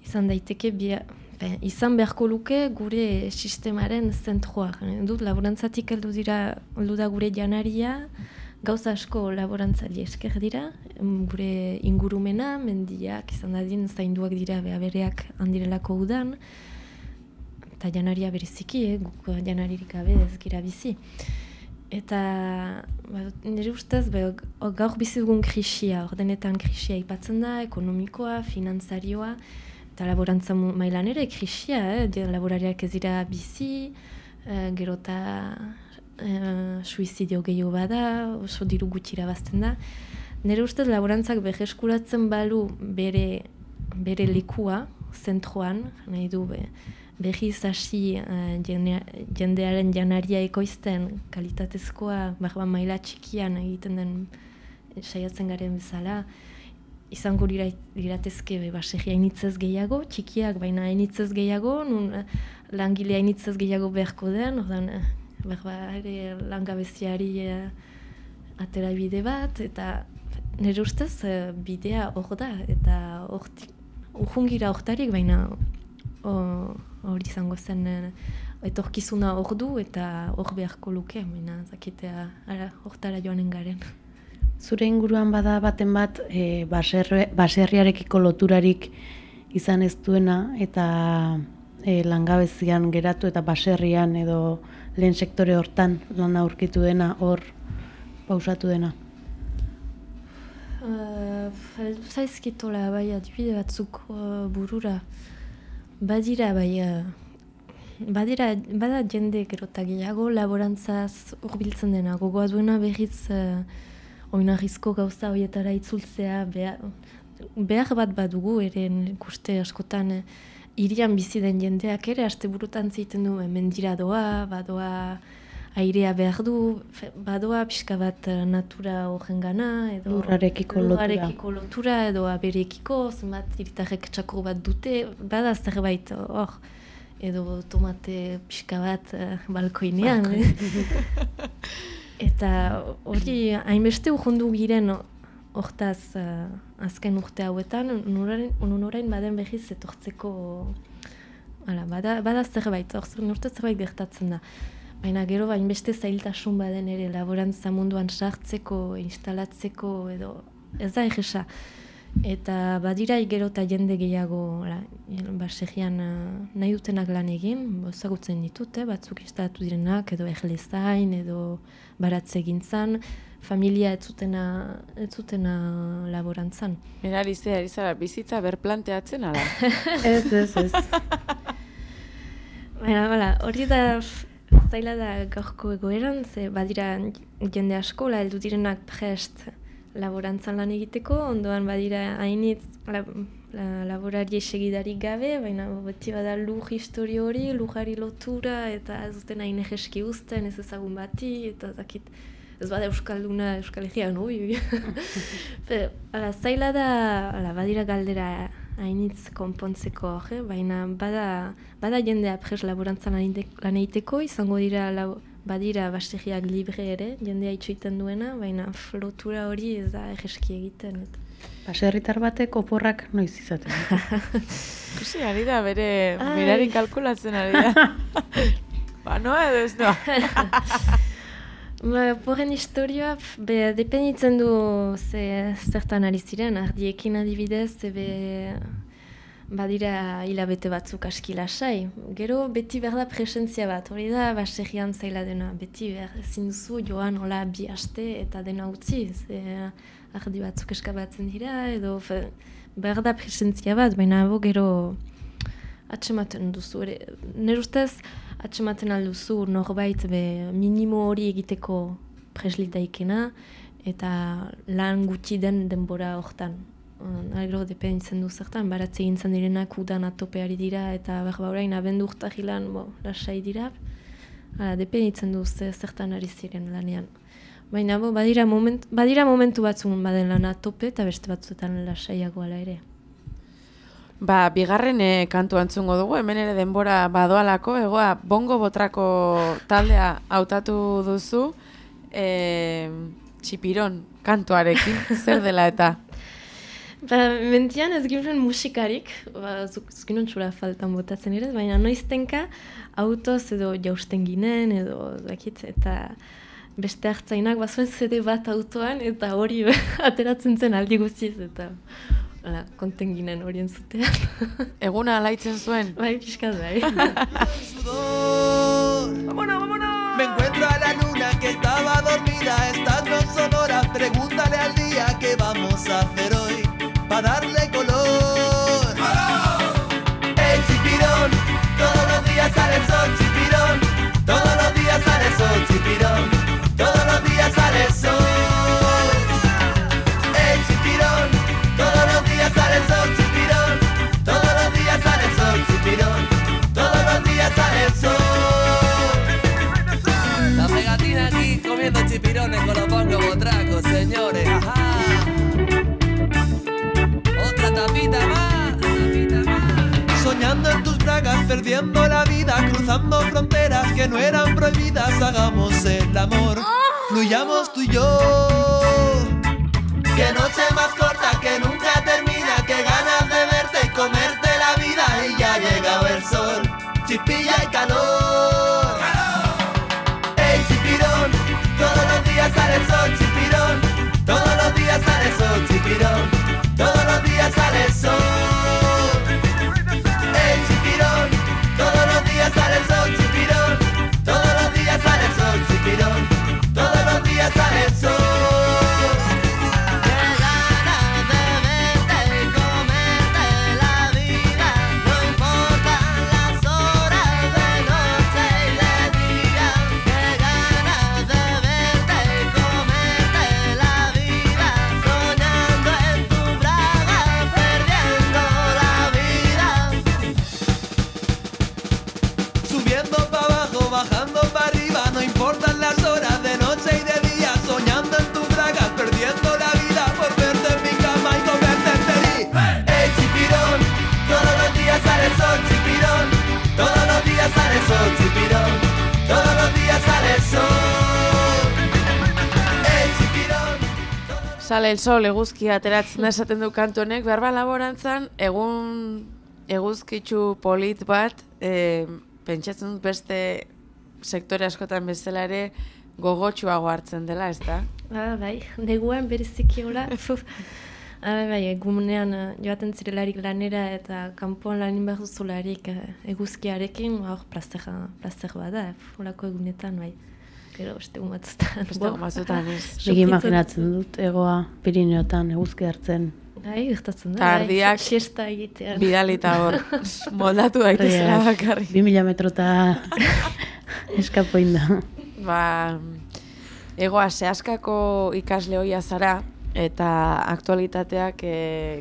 izan daiteke, bia, be, izan beharko luke gure sistemaren zentroa. Dut laborantzatik heldu dira, heldu da gure janaria, gauza asko laborantzari esker dira, gure ingurumena, mendiak izan dadin zainduak dira behabereak handirelako udan, eta janaria bereziki, eh, guk janaririk gabe ez gira bizi. Eta ba, nire ustez, be, gaur bizi dugun krisia, ordenetan krisia ipatzen da, ekonomikoa, finantzarioa, eta laborantza mailan ere krisia, eh, laborariak ez dira bizi, eh, gero eta eh, suizidio gehiago bada, oso diru gutxi irabazten da. Nire ustez laborantzak berreskuratzen balu bere, bere likua, zentroan, nahi du be, behiz hasi uh, jende, jendearen janaria ekoizten kalitatezkoa, barba maila txikian egiten den saiatzen garen bezala, izango liratezke be, baserria hainitzez gehiago, txikiak baina hainitzez gehiago, nun langile hainitzez gehiago beharko den, ordan, barba ere langabeziari uh, atera bide bat, eta nire ustez uh, bidea hor da, eta urjungira hortarik, baina hori izango zen etorkizuna hor du eta hor beharko luke, baina zakitea hortara joanen garen. Zure inguruan bada baten bat e, baserri, baserriarekiko loturarik izan ez duena eta e, langabezian geratu eta baserrian edo lehen sektore hortan lan aurkitu dena, hor pausatu dena? Uh, Zaizkitola bai adibide batzuk uh, burura. Badira bai, uh, badira, bada jende gerota gehiago laborantzaz hurbiltzen dena. Gogoa duena berriz uh, oinarrizko gauza horietara itzultzea behar, behar bat badugu ere ikuste askotan uh, hirian bizi den jendeak ere asteburutan zeiten du mendira doa, badoa airea behar du, badoa pixka bat natura horrengana, edo lurrarekiko lotura. lotura, edo aberekiko, zenbat hiritarrek txakur bat dute, bada zerbait hor, edo tomate pixka bat uh, balkoinean. Eta hori hainbeste urrundu giren hortaz uh, azken urte hauetan, unorain baden behiz etortzeko, ala, bada, bada zerbait, hor urte zerbait gertatzen da. Baina gero hainbeste zailtasun baden ere laborantza munduan sartzeko, instalatzeko edo ez da egesa. Eta badira gero eta jende gehiago baserrian nahi dutenak lan egin, ezagutzen ditute, batzuk instalatu direnak edo erlezain edo baratze egintzan, familia ez zutena, ez zutena laborantzan. Mirari ze, ari zara, bizitza berplanteatzen ala? Ez, ez, ez. Baina, bala, hori da zaila da gaurko egoeran, ze badira jende asko, la heldu direnak prest laborantzan lan egiteko, ondoan badira hainitz la, la, laborari segidarik gabe, baina beti bada lur historio hori, lujari lotura, eta ez duten hain egeski uzten, ez ezagun bati, eta zakit, ez bada euskalduna, euskal egian, ui, ala, zaila da, ala, badira galdera hainitz konpontzeko, eh? Baina bada, bada jendea pres laborantzan lan egiteko, izango dira labo, badira baserriak libre ere, jendea itxoiten duena, baina lotura hori ez da egeski egiten. Baserritar batek oporrak noiz izaten. Kusi, ari da, bere mirari kalkulatzen ari da. Ba, noa edo ez noa. Porren historioa, be, dependitzen du ze, zertan ari ziren, ardiekin adibidez, be, badira hilabete batzuk aski lasai. Gero beti behar da presentzia bat, hori da baserrian zaila dena, beti behar ezin duzu joan hola bi aste eta dena utzi, ze ardi batzuk eskabatzen dira, edo fe, behar da presentzia bat, baina abo gero atsematen duzu. Nire ustez, atsematen alduzu norbait be minimo hori egiteko preslitaikena eta lan gutxi den denbora hortan. Agro dependitzen du zertan, baratze egintzen direnak udan atopeari dira eta berba orain abendu urtahilan bo, lasai dira. Hala, dependitzen du zertan ari ziren lanean. Baina bo, badira, moment, badira momentu batzun baden lan atope eta beste batzuetan lasaiago ala ere. Ba, bigarren e, kantu antzungo dugu, hemen ere denbora badoalako, egoa bongo botrako taldea hautatu duzu, e, txipiron kantuarekin, zer dela eta? Ba, mentian ez ginen musikarik, ba, zuzkinon txura faltan botatzen ere, baina noiztenka autoz edo jausten ginen, edo dakit, eta beste hartzainak bazuen zede bat autoan, eta hori ateratzen zen aldi guztiz, eta Hala, konten ginen horien zutean. Eguna alaitzen zuen? Bai, pixkat bai. ¡Vámonos, vámonos! Me encuentro a la luna que estaba dormida. Estas no son horas, pregúntale al día qué vamos a hacer hoy para darle color. ¡El chipirón! Todos los días sale el sol, chipirón. Todos los días sale el sol, chipirón. Todos los días sale el sol. El chipirón. Todos los días sale el sol, chipirón. Todos los días sale el sol, chipirón. Todos los días sale el sol. La pegatina aquí comiendo chipirones con los bongos botracos, señores. Ajá. Otra tapita más, tapita más. Soñando en tus bragas, perdiendo la vida, cruzando fronteras que no eran prohibidas. Hagamos el amor, fluyamos tú y yo. Que noche más corta que nunca termina, que ganas de verte y comerte la vida. Y ya ha llegado el sol, chispilla y calor. ¡Ey, chipirón! Todos los días sale el sol, chipirón. Todos los días sale el sol, chipirón. Todos los días sale el sol. ¡Ey, chipirón! Todos los días sale el sol, chipirón. Todos los días sale el sol, chipirón. Todos los días sale el sol. Bajando para arriba, no importan las horas de noche y de día, soñando en tus bragas, perdiendo la vida por verte en mi cama y comerte en feliz. ¡Ey, chipirón! Todos los días sale el sol, chipirón. Todos los días sale el sol, chipirón. Todos los días sale el sol. ¡Ey, chipirón! Sale el sol, eguzkia ateratzen da esaten du kantu honek, behar ba laborantzan, egun eguzkitzu polit bat, e, pentsatzen dut beste sektore askotan bezala ere gogotsuago hartzen dela, ez da? Ah, bai, neguan bereziki hola. Ah, bai, egunean joaten zirelarik lanera eta kanpoan lanin behar duzularik eguzkiarekin, hor plazer bat da, holako egunetan, bai. Gero, beste egun batzutan. Beste egun batzutan, ez. Nik imaginatzen dut, egoa Pirineotan eguzki hartzen. Bai, gertatzen da. Ta ardiak siesta egitean. bidalita hor, moldatu daitezela bakarrik. Bi mila metrota eskapoin da. Ba, egoa zehaskako ikasle hoia zara, eta aktualitateak e,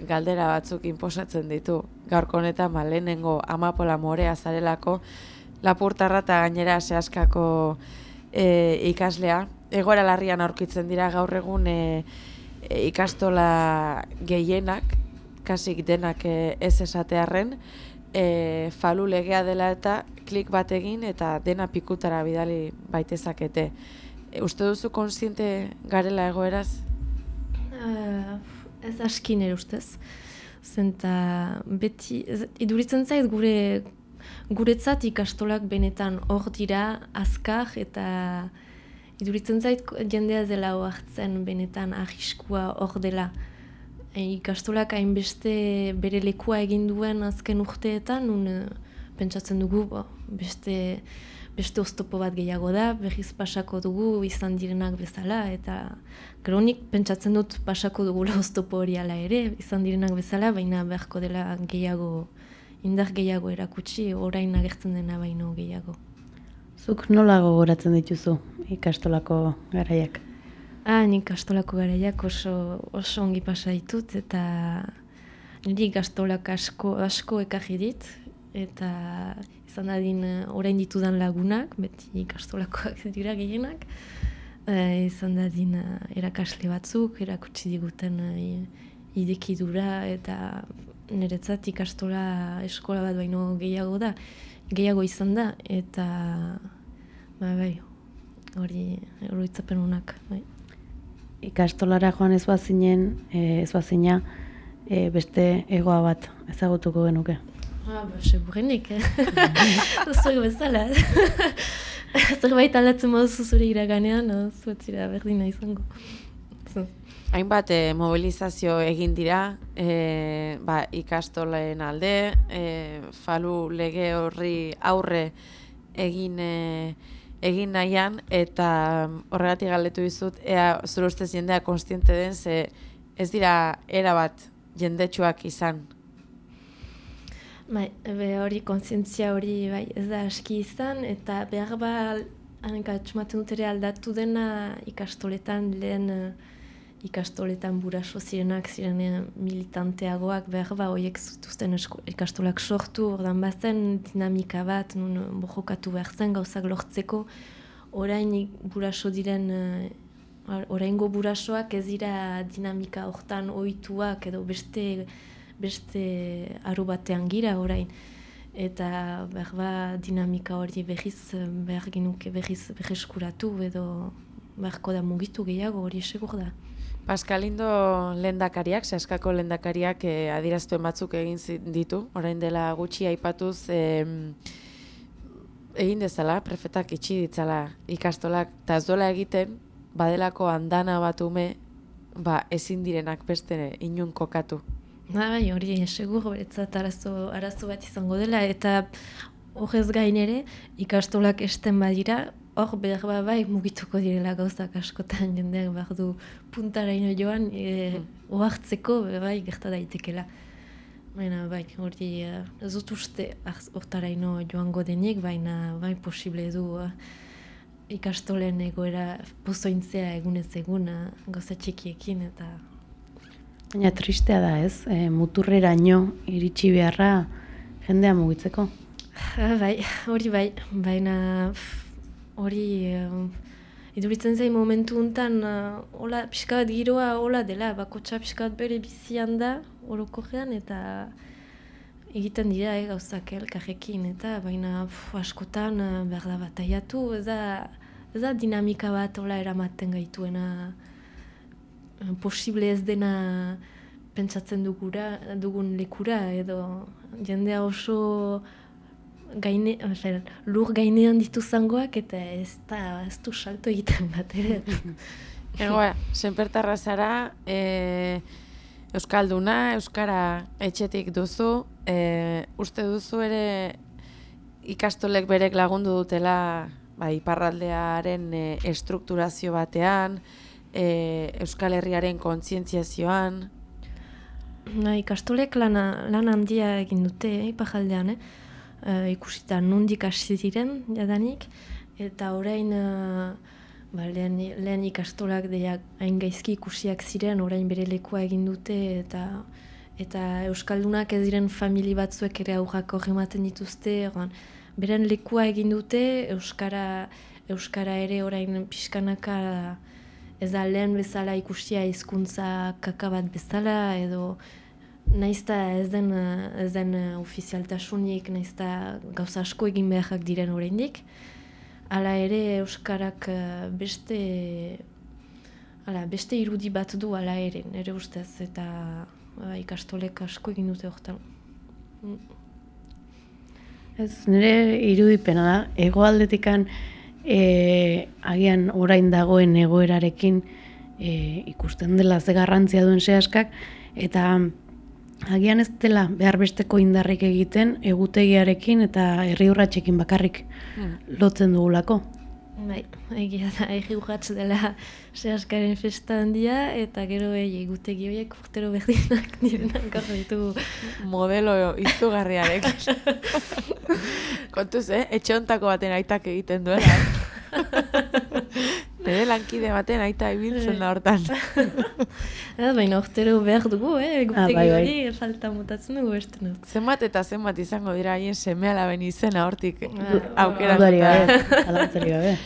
galdera batzuk inposatzen ditu. Gaurko honetan, ba, lehenengo Amapola Morea zarelako, Lapurtarra eta gainera zehaskako e, ikaslea. Egoera larrian aurkitzen dira gaur egun e, e, ikastola gehienak, kasik denak e, ez esatearren, e, falu legea dela eta klik bat egin eta dena pikutara bidali baitezakete. E, uste duzu kontziente garela egoeraz? Uh, ez askin ere ustez. Zenta beti, ez, iduritzen zait gure guretzat ikastolak benetan hor dira, azkar, eta iduritzen zait jendea dela hartzen benetan arriskua hor dela. E, ikastolak hainbeste bere lekua egin duen azken urteetan, nun pentsatzen dugu bo, beste, beste oztopo bat gehiago da, berriz pasako dugu izan direnak bezala, eta kronik pentsatzen dut pasako dugula oztopo hori ala ere, izan direnak bezala, baina beharko dela gehiago, indar gehiago erakutsi, orain agertzen dena baino gehiago. Zuk nola gogoratzen dituzu ikastolako garaiak? Ah, nik ikastolako garaiak oso, oso ongi pasa ditut, eta niri ikastolak asko, asko ekarri dit, eta izan dadin orain ditudan lagunak, beti ikastolakoak dira gehienak, e, izan dadin erakasle batzuk, erakutsi diguten e, idekidura, eta niretzat ikastola eskola bat baino gehiago da, gehiago izan da, eta ba, bai, hori oroitzapen honak. Bai. Ikastolara joan ez bazinen, ez bazina, e, beste egoa bat ezagutuko genuke. Ah, ba, segurenik, eh? Zuek bezala. Zerbait aldatzen moduzu zure iraganean, zuetzira berdina izango. Hainbat e, mobilizazio egin dira, e, ba, ikastolen alde, e, falu lege horri aurre egin e, egin nahian, eta horregatik galdetu dizut, ea zure ustez jendea konstiente den, ze ez dira erabat jendetsuak izan. Bai, be hori kontzientzia hori bai ez da aski izan, eta behar ba, hanka txumaten dut ere aldatu dena ikastoletan, lehen uh, ikastoletan buraso zirenak, ziren militanteagoak, behar ba, horiek zutuzten ikastolak sortu, ordan bazen dinamika bat, nun bojokatu behar zen gauzak lortzeko, orain buraso diren, uh, oraingo burasoak ez dira dinamika hortan ohituak edo beste beste aru batean gira orain. Eta behar ba, dinamika hori behiz, behar ginuke behiz beheskuratu edo beharko da mugitu gehiago hori segur da. Paskalindo lehendakariak, Seaskako lehendakariak eh, adierazpen batzuk egin ditu, orain dela gutxi aipatuz eh, egin dezala, prefetak itxi ditzala ikastolak, eta ez dola egiten, badelako andana bat ume, ba, ezin direnak beste inun kokatu. Bai, hori segur beretzat arazo, arazo bat izango dela, eta horrez gain ere ikastolak esten badira, hor behar ba, bai mugituko direla gauzak askotan jendeak behar du puntaraino joan e, mm. ohartzeko bai gerta daitekela. Baina bai, hori ez dut uste hortaraino joango denik, baina bai posible du uh, ikastolen egoera pozointzea egunez eguna gauza txikiekin eta... Baina tristea da ez, e, muturreraino iritsi beharra jendea mugitzeko. Ha, bai, hori bai, baina hori uh, iduritzen zain momentu untan uh, hola, pixka bat giroa hola dela, bakotxa pixka bat bere bizian da, orokorrean, eta egiten dira eh, gauzak elkarrekin, eta baina pf, askotan uh, behar da bataiatu, ez da, ez da dinamika bat hola eramaten gaituena, posible ez dena pentsatzen dugura, dugun lekura, edo jendea oso gaine, fer, lur gainean ditu zangoak, eta ez da, ez du salto egiten bat ere. Egoa, senpertarra zara, e, Euskalduna, Euskara etxetik duzu, e, uste duzu ere ikastolek berek lagundu dutela ba, iparraldearen e, estrukturazio batean, E, Euskal Herriaren kontzientziazioan. Na, ikastolek lana, lan handia egin dute eh, iparraldean, eh? E, ikusita nondik hasi diren jadanik, eta orain uh, ba, lehen, lehen ikastolak deak hain gaizki ikusiak ziren, orain bere lekua egin dute, eta eta Euskaldunak ez diren famili batzuek ere aurrak horrematen dituzte, oran, beren lekua egin dute, Euskara, Euskara ere orain pixkanaka ez da lehen bezala ikusia hizkuntza kaka bat bezala, edo naizta ez den, ez den ofizialtasunik, naizta gauza asko egin beharrak diren oraindik. Hala ere Euskarak beste, hala, beste irudi bat du hala ere, nire ustez, eta ba, ikastolek asko egin dute horretan. Ez, nire irudipena da, hegoaldetikan E, agian orain dagoen egoerarekin e, ikusten dela ze garrantzia duen Seaskak, eta agian ez dela behar besteko indarrik egiten egutegiarekin eta herri urratsekin bakarrik hmm. lotzen dugulako. Bai, egia da, herri urrats dela Seaskaren festa handia, eta gero egutegi horiek urtero berdinak direnak gaur ditugu. Modelo izugarriarek. Kontuz, eh? Etxe hontako baten aitak egiten duela. Nire lankide baten aita ibiltzen da hortan. Baina urtero behar dugu, eh? Egutegi ah, bai, bai. hori falta mutatzen dugu beste nuz. Zenbat eta zenbat izango dira haien seme-alaben izena hortik ah, aukeratuta.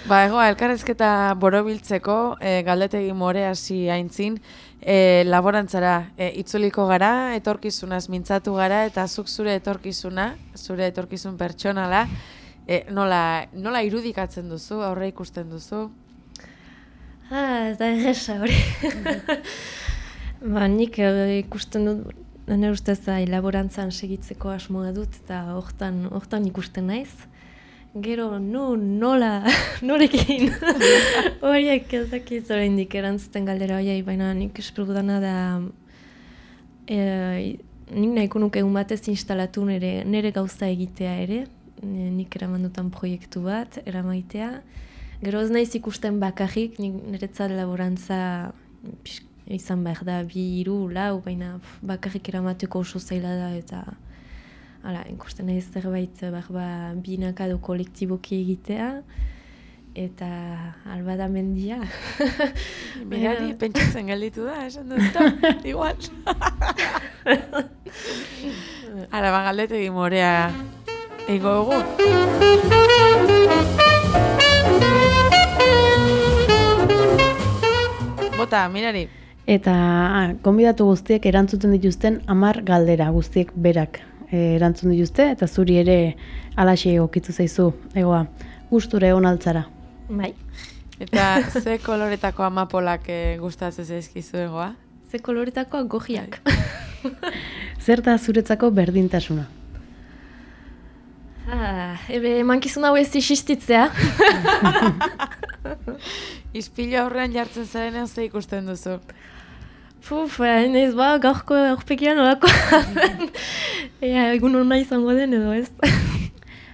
Ba, egoa, elkarrezketa borobiltzeko, e, galdetegi more hasi aintzin, e, laborantzara e, itzuliko gara, etorkizunaz mintzatu gara, eta zuk zure etorkizuna, zure etorkizun pertsonala, e, nola, nola irudikatzen duzu, aurre ikusten duzu? Ah, ez da egesa hori. Ba, nik ikusten dut, nire ustez laborantzan segitzeko asmoa dut, eta hortan, hortan ikusten naiz. gero, no, nola, norekin. Horiek ezakit oraindik erantzuten galdera horiei, baina nik espero dana da e, nik nahiko nuke egun batez instalatu nire, nire gauza egitea ere, nik eraman dutan proiektu bat, eramaitea. Gero ez naiz ikusten bakarrik, nik niretzat laborantza pixk, izan behar da, bi, hiru, lau, baina bakarrik eramateko oso zaila da, eta hala, ikusten nahi zerbait behar ba, binaka du kolektiboki egitea, eta albada mendia. Mirari, pentsatzen gelditu da, esan dut, igual. Ara, ba, galdetegi morea egingo dugu. Bota, Mirari. Eta ah, gonbidatu guztiek erantzuten dituzten hamar galdera guztiek berak eh, erantzun dituzte, eta zuri ere alaxe egokitu zaizu, egoa, gustura egon altzara. Bai. Eta ze koloretako amapolak eh, gustatzen zaizkizu egoa? Ze koloretako gojiak. Zer da zuretzako berdintasuna? Ah, ebe emankizun hau ez isistitzea. Ispilu aurrean jartzen zarenean ze ikusten duzu? Puf, nahiz ba, gaurko aurpegian olako. Ea, egun hona izango den edo ez.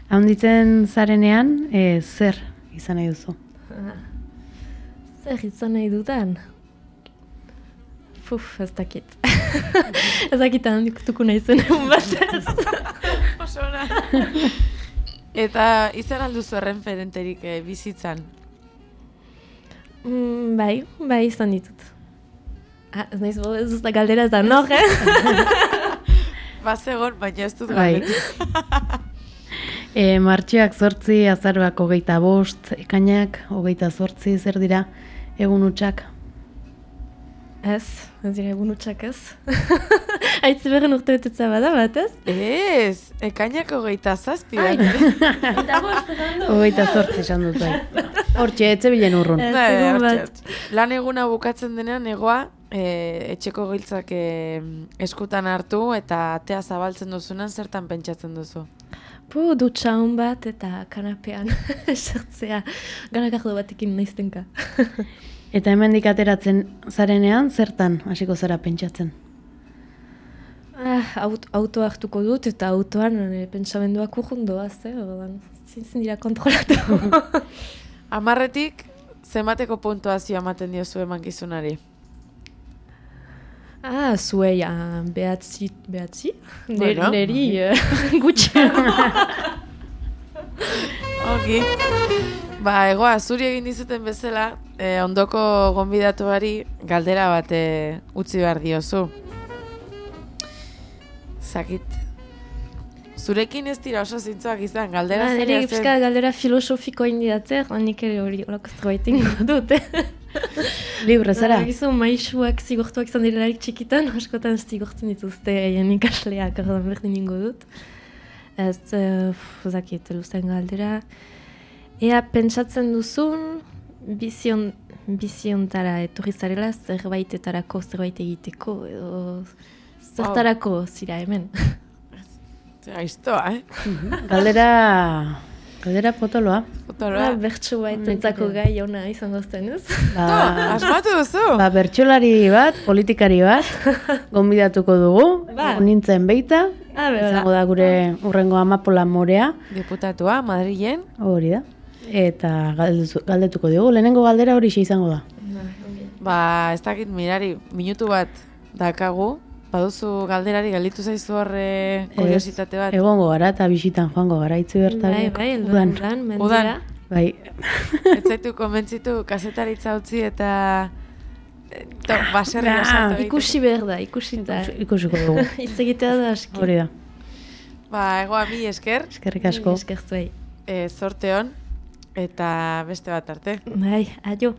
Handitzen zarenean, e, zer izan nahi duzu? Ah, zer izan nahi dudan? Puf, ez dakit. Ez dakit handikutuko nahi zen egun batez. Oso ona. Eta izan alduzu erreferenterik eh, bizitzan? Mm, bai, bai izan ditut. Ah, ez nahiz bo, ez duzta galdera ez da, no, eh? Bazegon, baina ez dut Bai. galdetu. E, martxoak zortzi, azaroak hogeita bost, ekainak hogeita zortzi, zer dira egun hutsak? Ez, ez dira egun hutsak ez. Aitzi berren urte betetza bada bat, ez? Ez, ekainak hogeita zazpi. Ai. bai. Eta bost, esan du. Hogeita zortzi esan dut bai. Hortxe, etxe bilen urrun. Ez, Bai, egun hortxe, bat. hortxe. Lan eguna bukatzen denean egoa, e, etxeko giltzak e, eskutan hartu eta atea zabaltzen duzunan zertan pentsatzen duzu. Pu, dutxa hon bat eta kanapean esertzea. Garagardo batekin naiztenka. Eta hemendik ateratzen zarenean, zertan hasiko zara pentsatzen? Ah, aut, auto hartuko dut eta autoan e, pentsamenduak urrundoaz, eh? Ordan, zintzen dira kontrolatu. Hamarretik, zenbateko puntuazioa ematen diozu emankizunari? Ah, zuei, ah, behatzi, behatzi? Bueno. Neri, eh, gutxi. Oki. Ba, egoa, zuri egin dizuten bezala, eh, ondoko gonbidatuari galdera bat eh, utzi behar diozu. Zakit. Zurekin ez dira oso zintzoak izan, galdera Ah, zaila nire zen. pixka galdera filosofiko indiatzer, nik ere hori olako zerbait ingo dut, eh? Libre zara? Gizu, maixuak zigortuak izan direlarik txikitan, askotan zigortzen dituzte haien ikasleak, ordan berdin ingo dut. Ez, uh, zakit, luzen galdera. Ea pentsatzen duzun, bizion, biziontara etorri zarela zerbaitetarako zerbait egiteko, edo zertarako zira hemen. Aiztoa, eh? Galdera, galdera potoloa. Potoloa. Ah, bertso baitentzako gai ona izango zen, ez? To, asmatu duzu? Ba, bertsolari bat, politikari bat, gonbidatuko dugu, Ba. nintzen beita, Ah, bera. izango da gure urrengo amapola morea, Diputatua, Madrilen. hori da, eta galdetu- galdetuko dugu, lehenengo galdera hori izango da. Ba, ez dakit mirari, minutu bat dakagu. Baduzu galderari galditu zaizu horre kuriositate bat. Egongo gara eta bisitan joango gara, itzi bertan. Bai, bai, udan. elduan, udan, mendira. Bai, Ez zaitu konbentzitu kasetaritza utzi eta eh, to, baserri Ba, osatu egiteko. Ikusi behar da, ikusi da. ikusiko dugu, Hitz egitea da aski. hori da. Ba, egoa mi esker, Eskerrik asko. Eskertu bai. eh, zorte hon, eta beste bat arte. Bai, aio.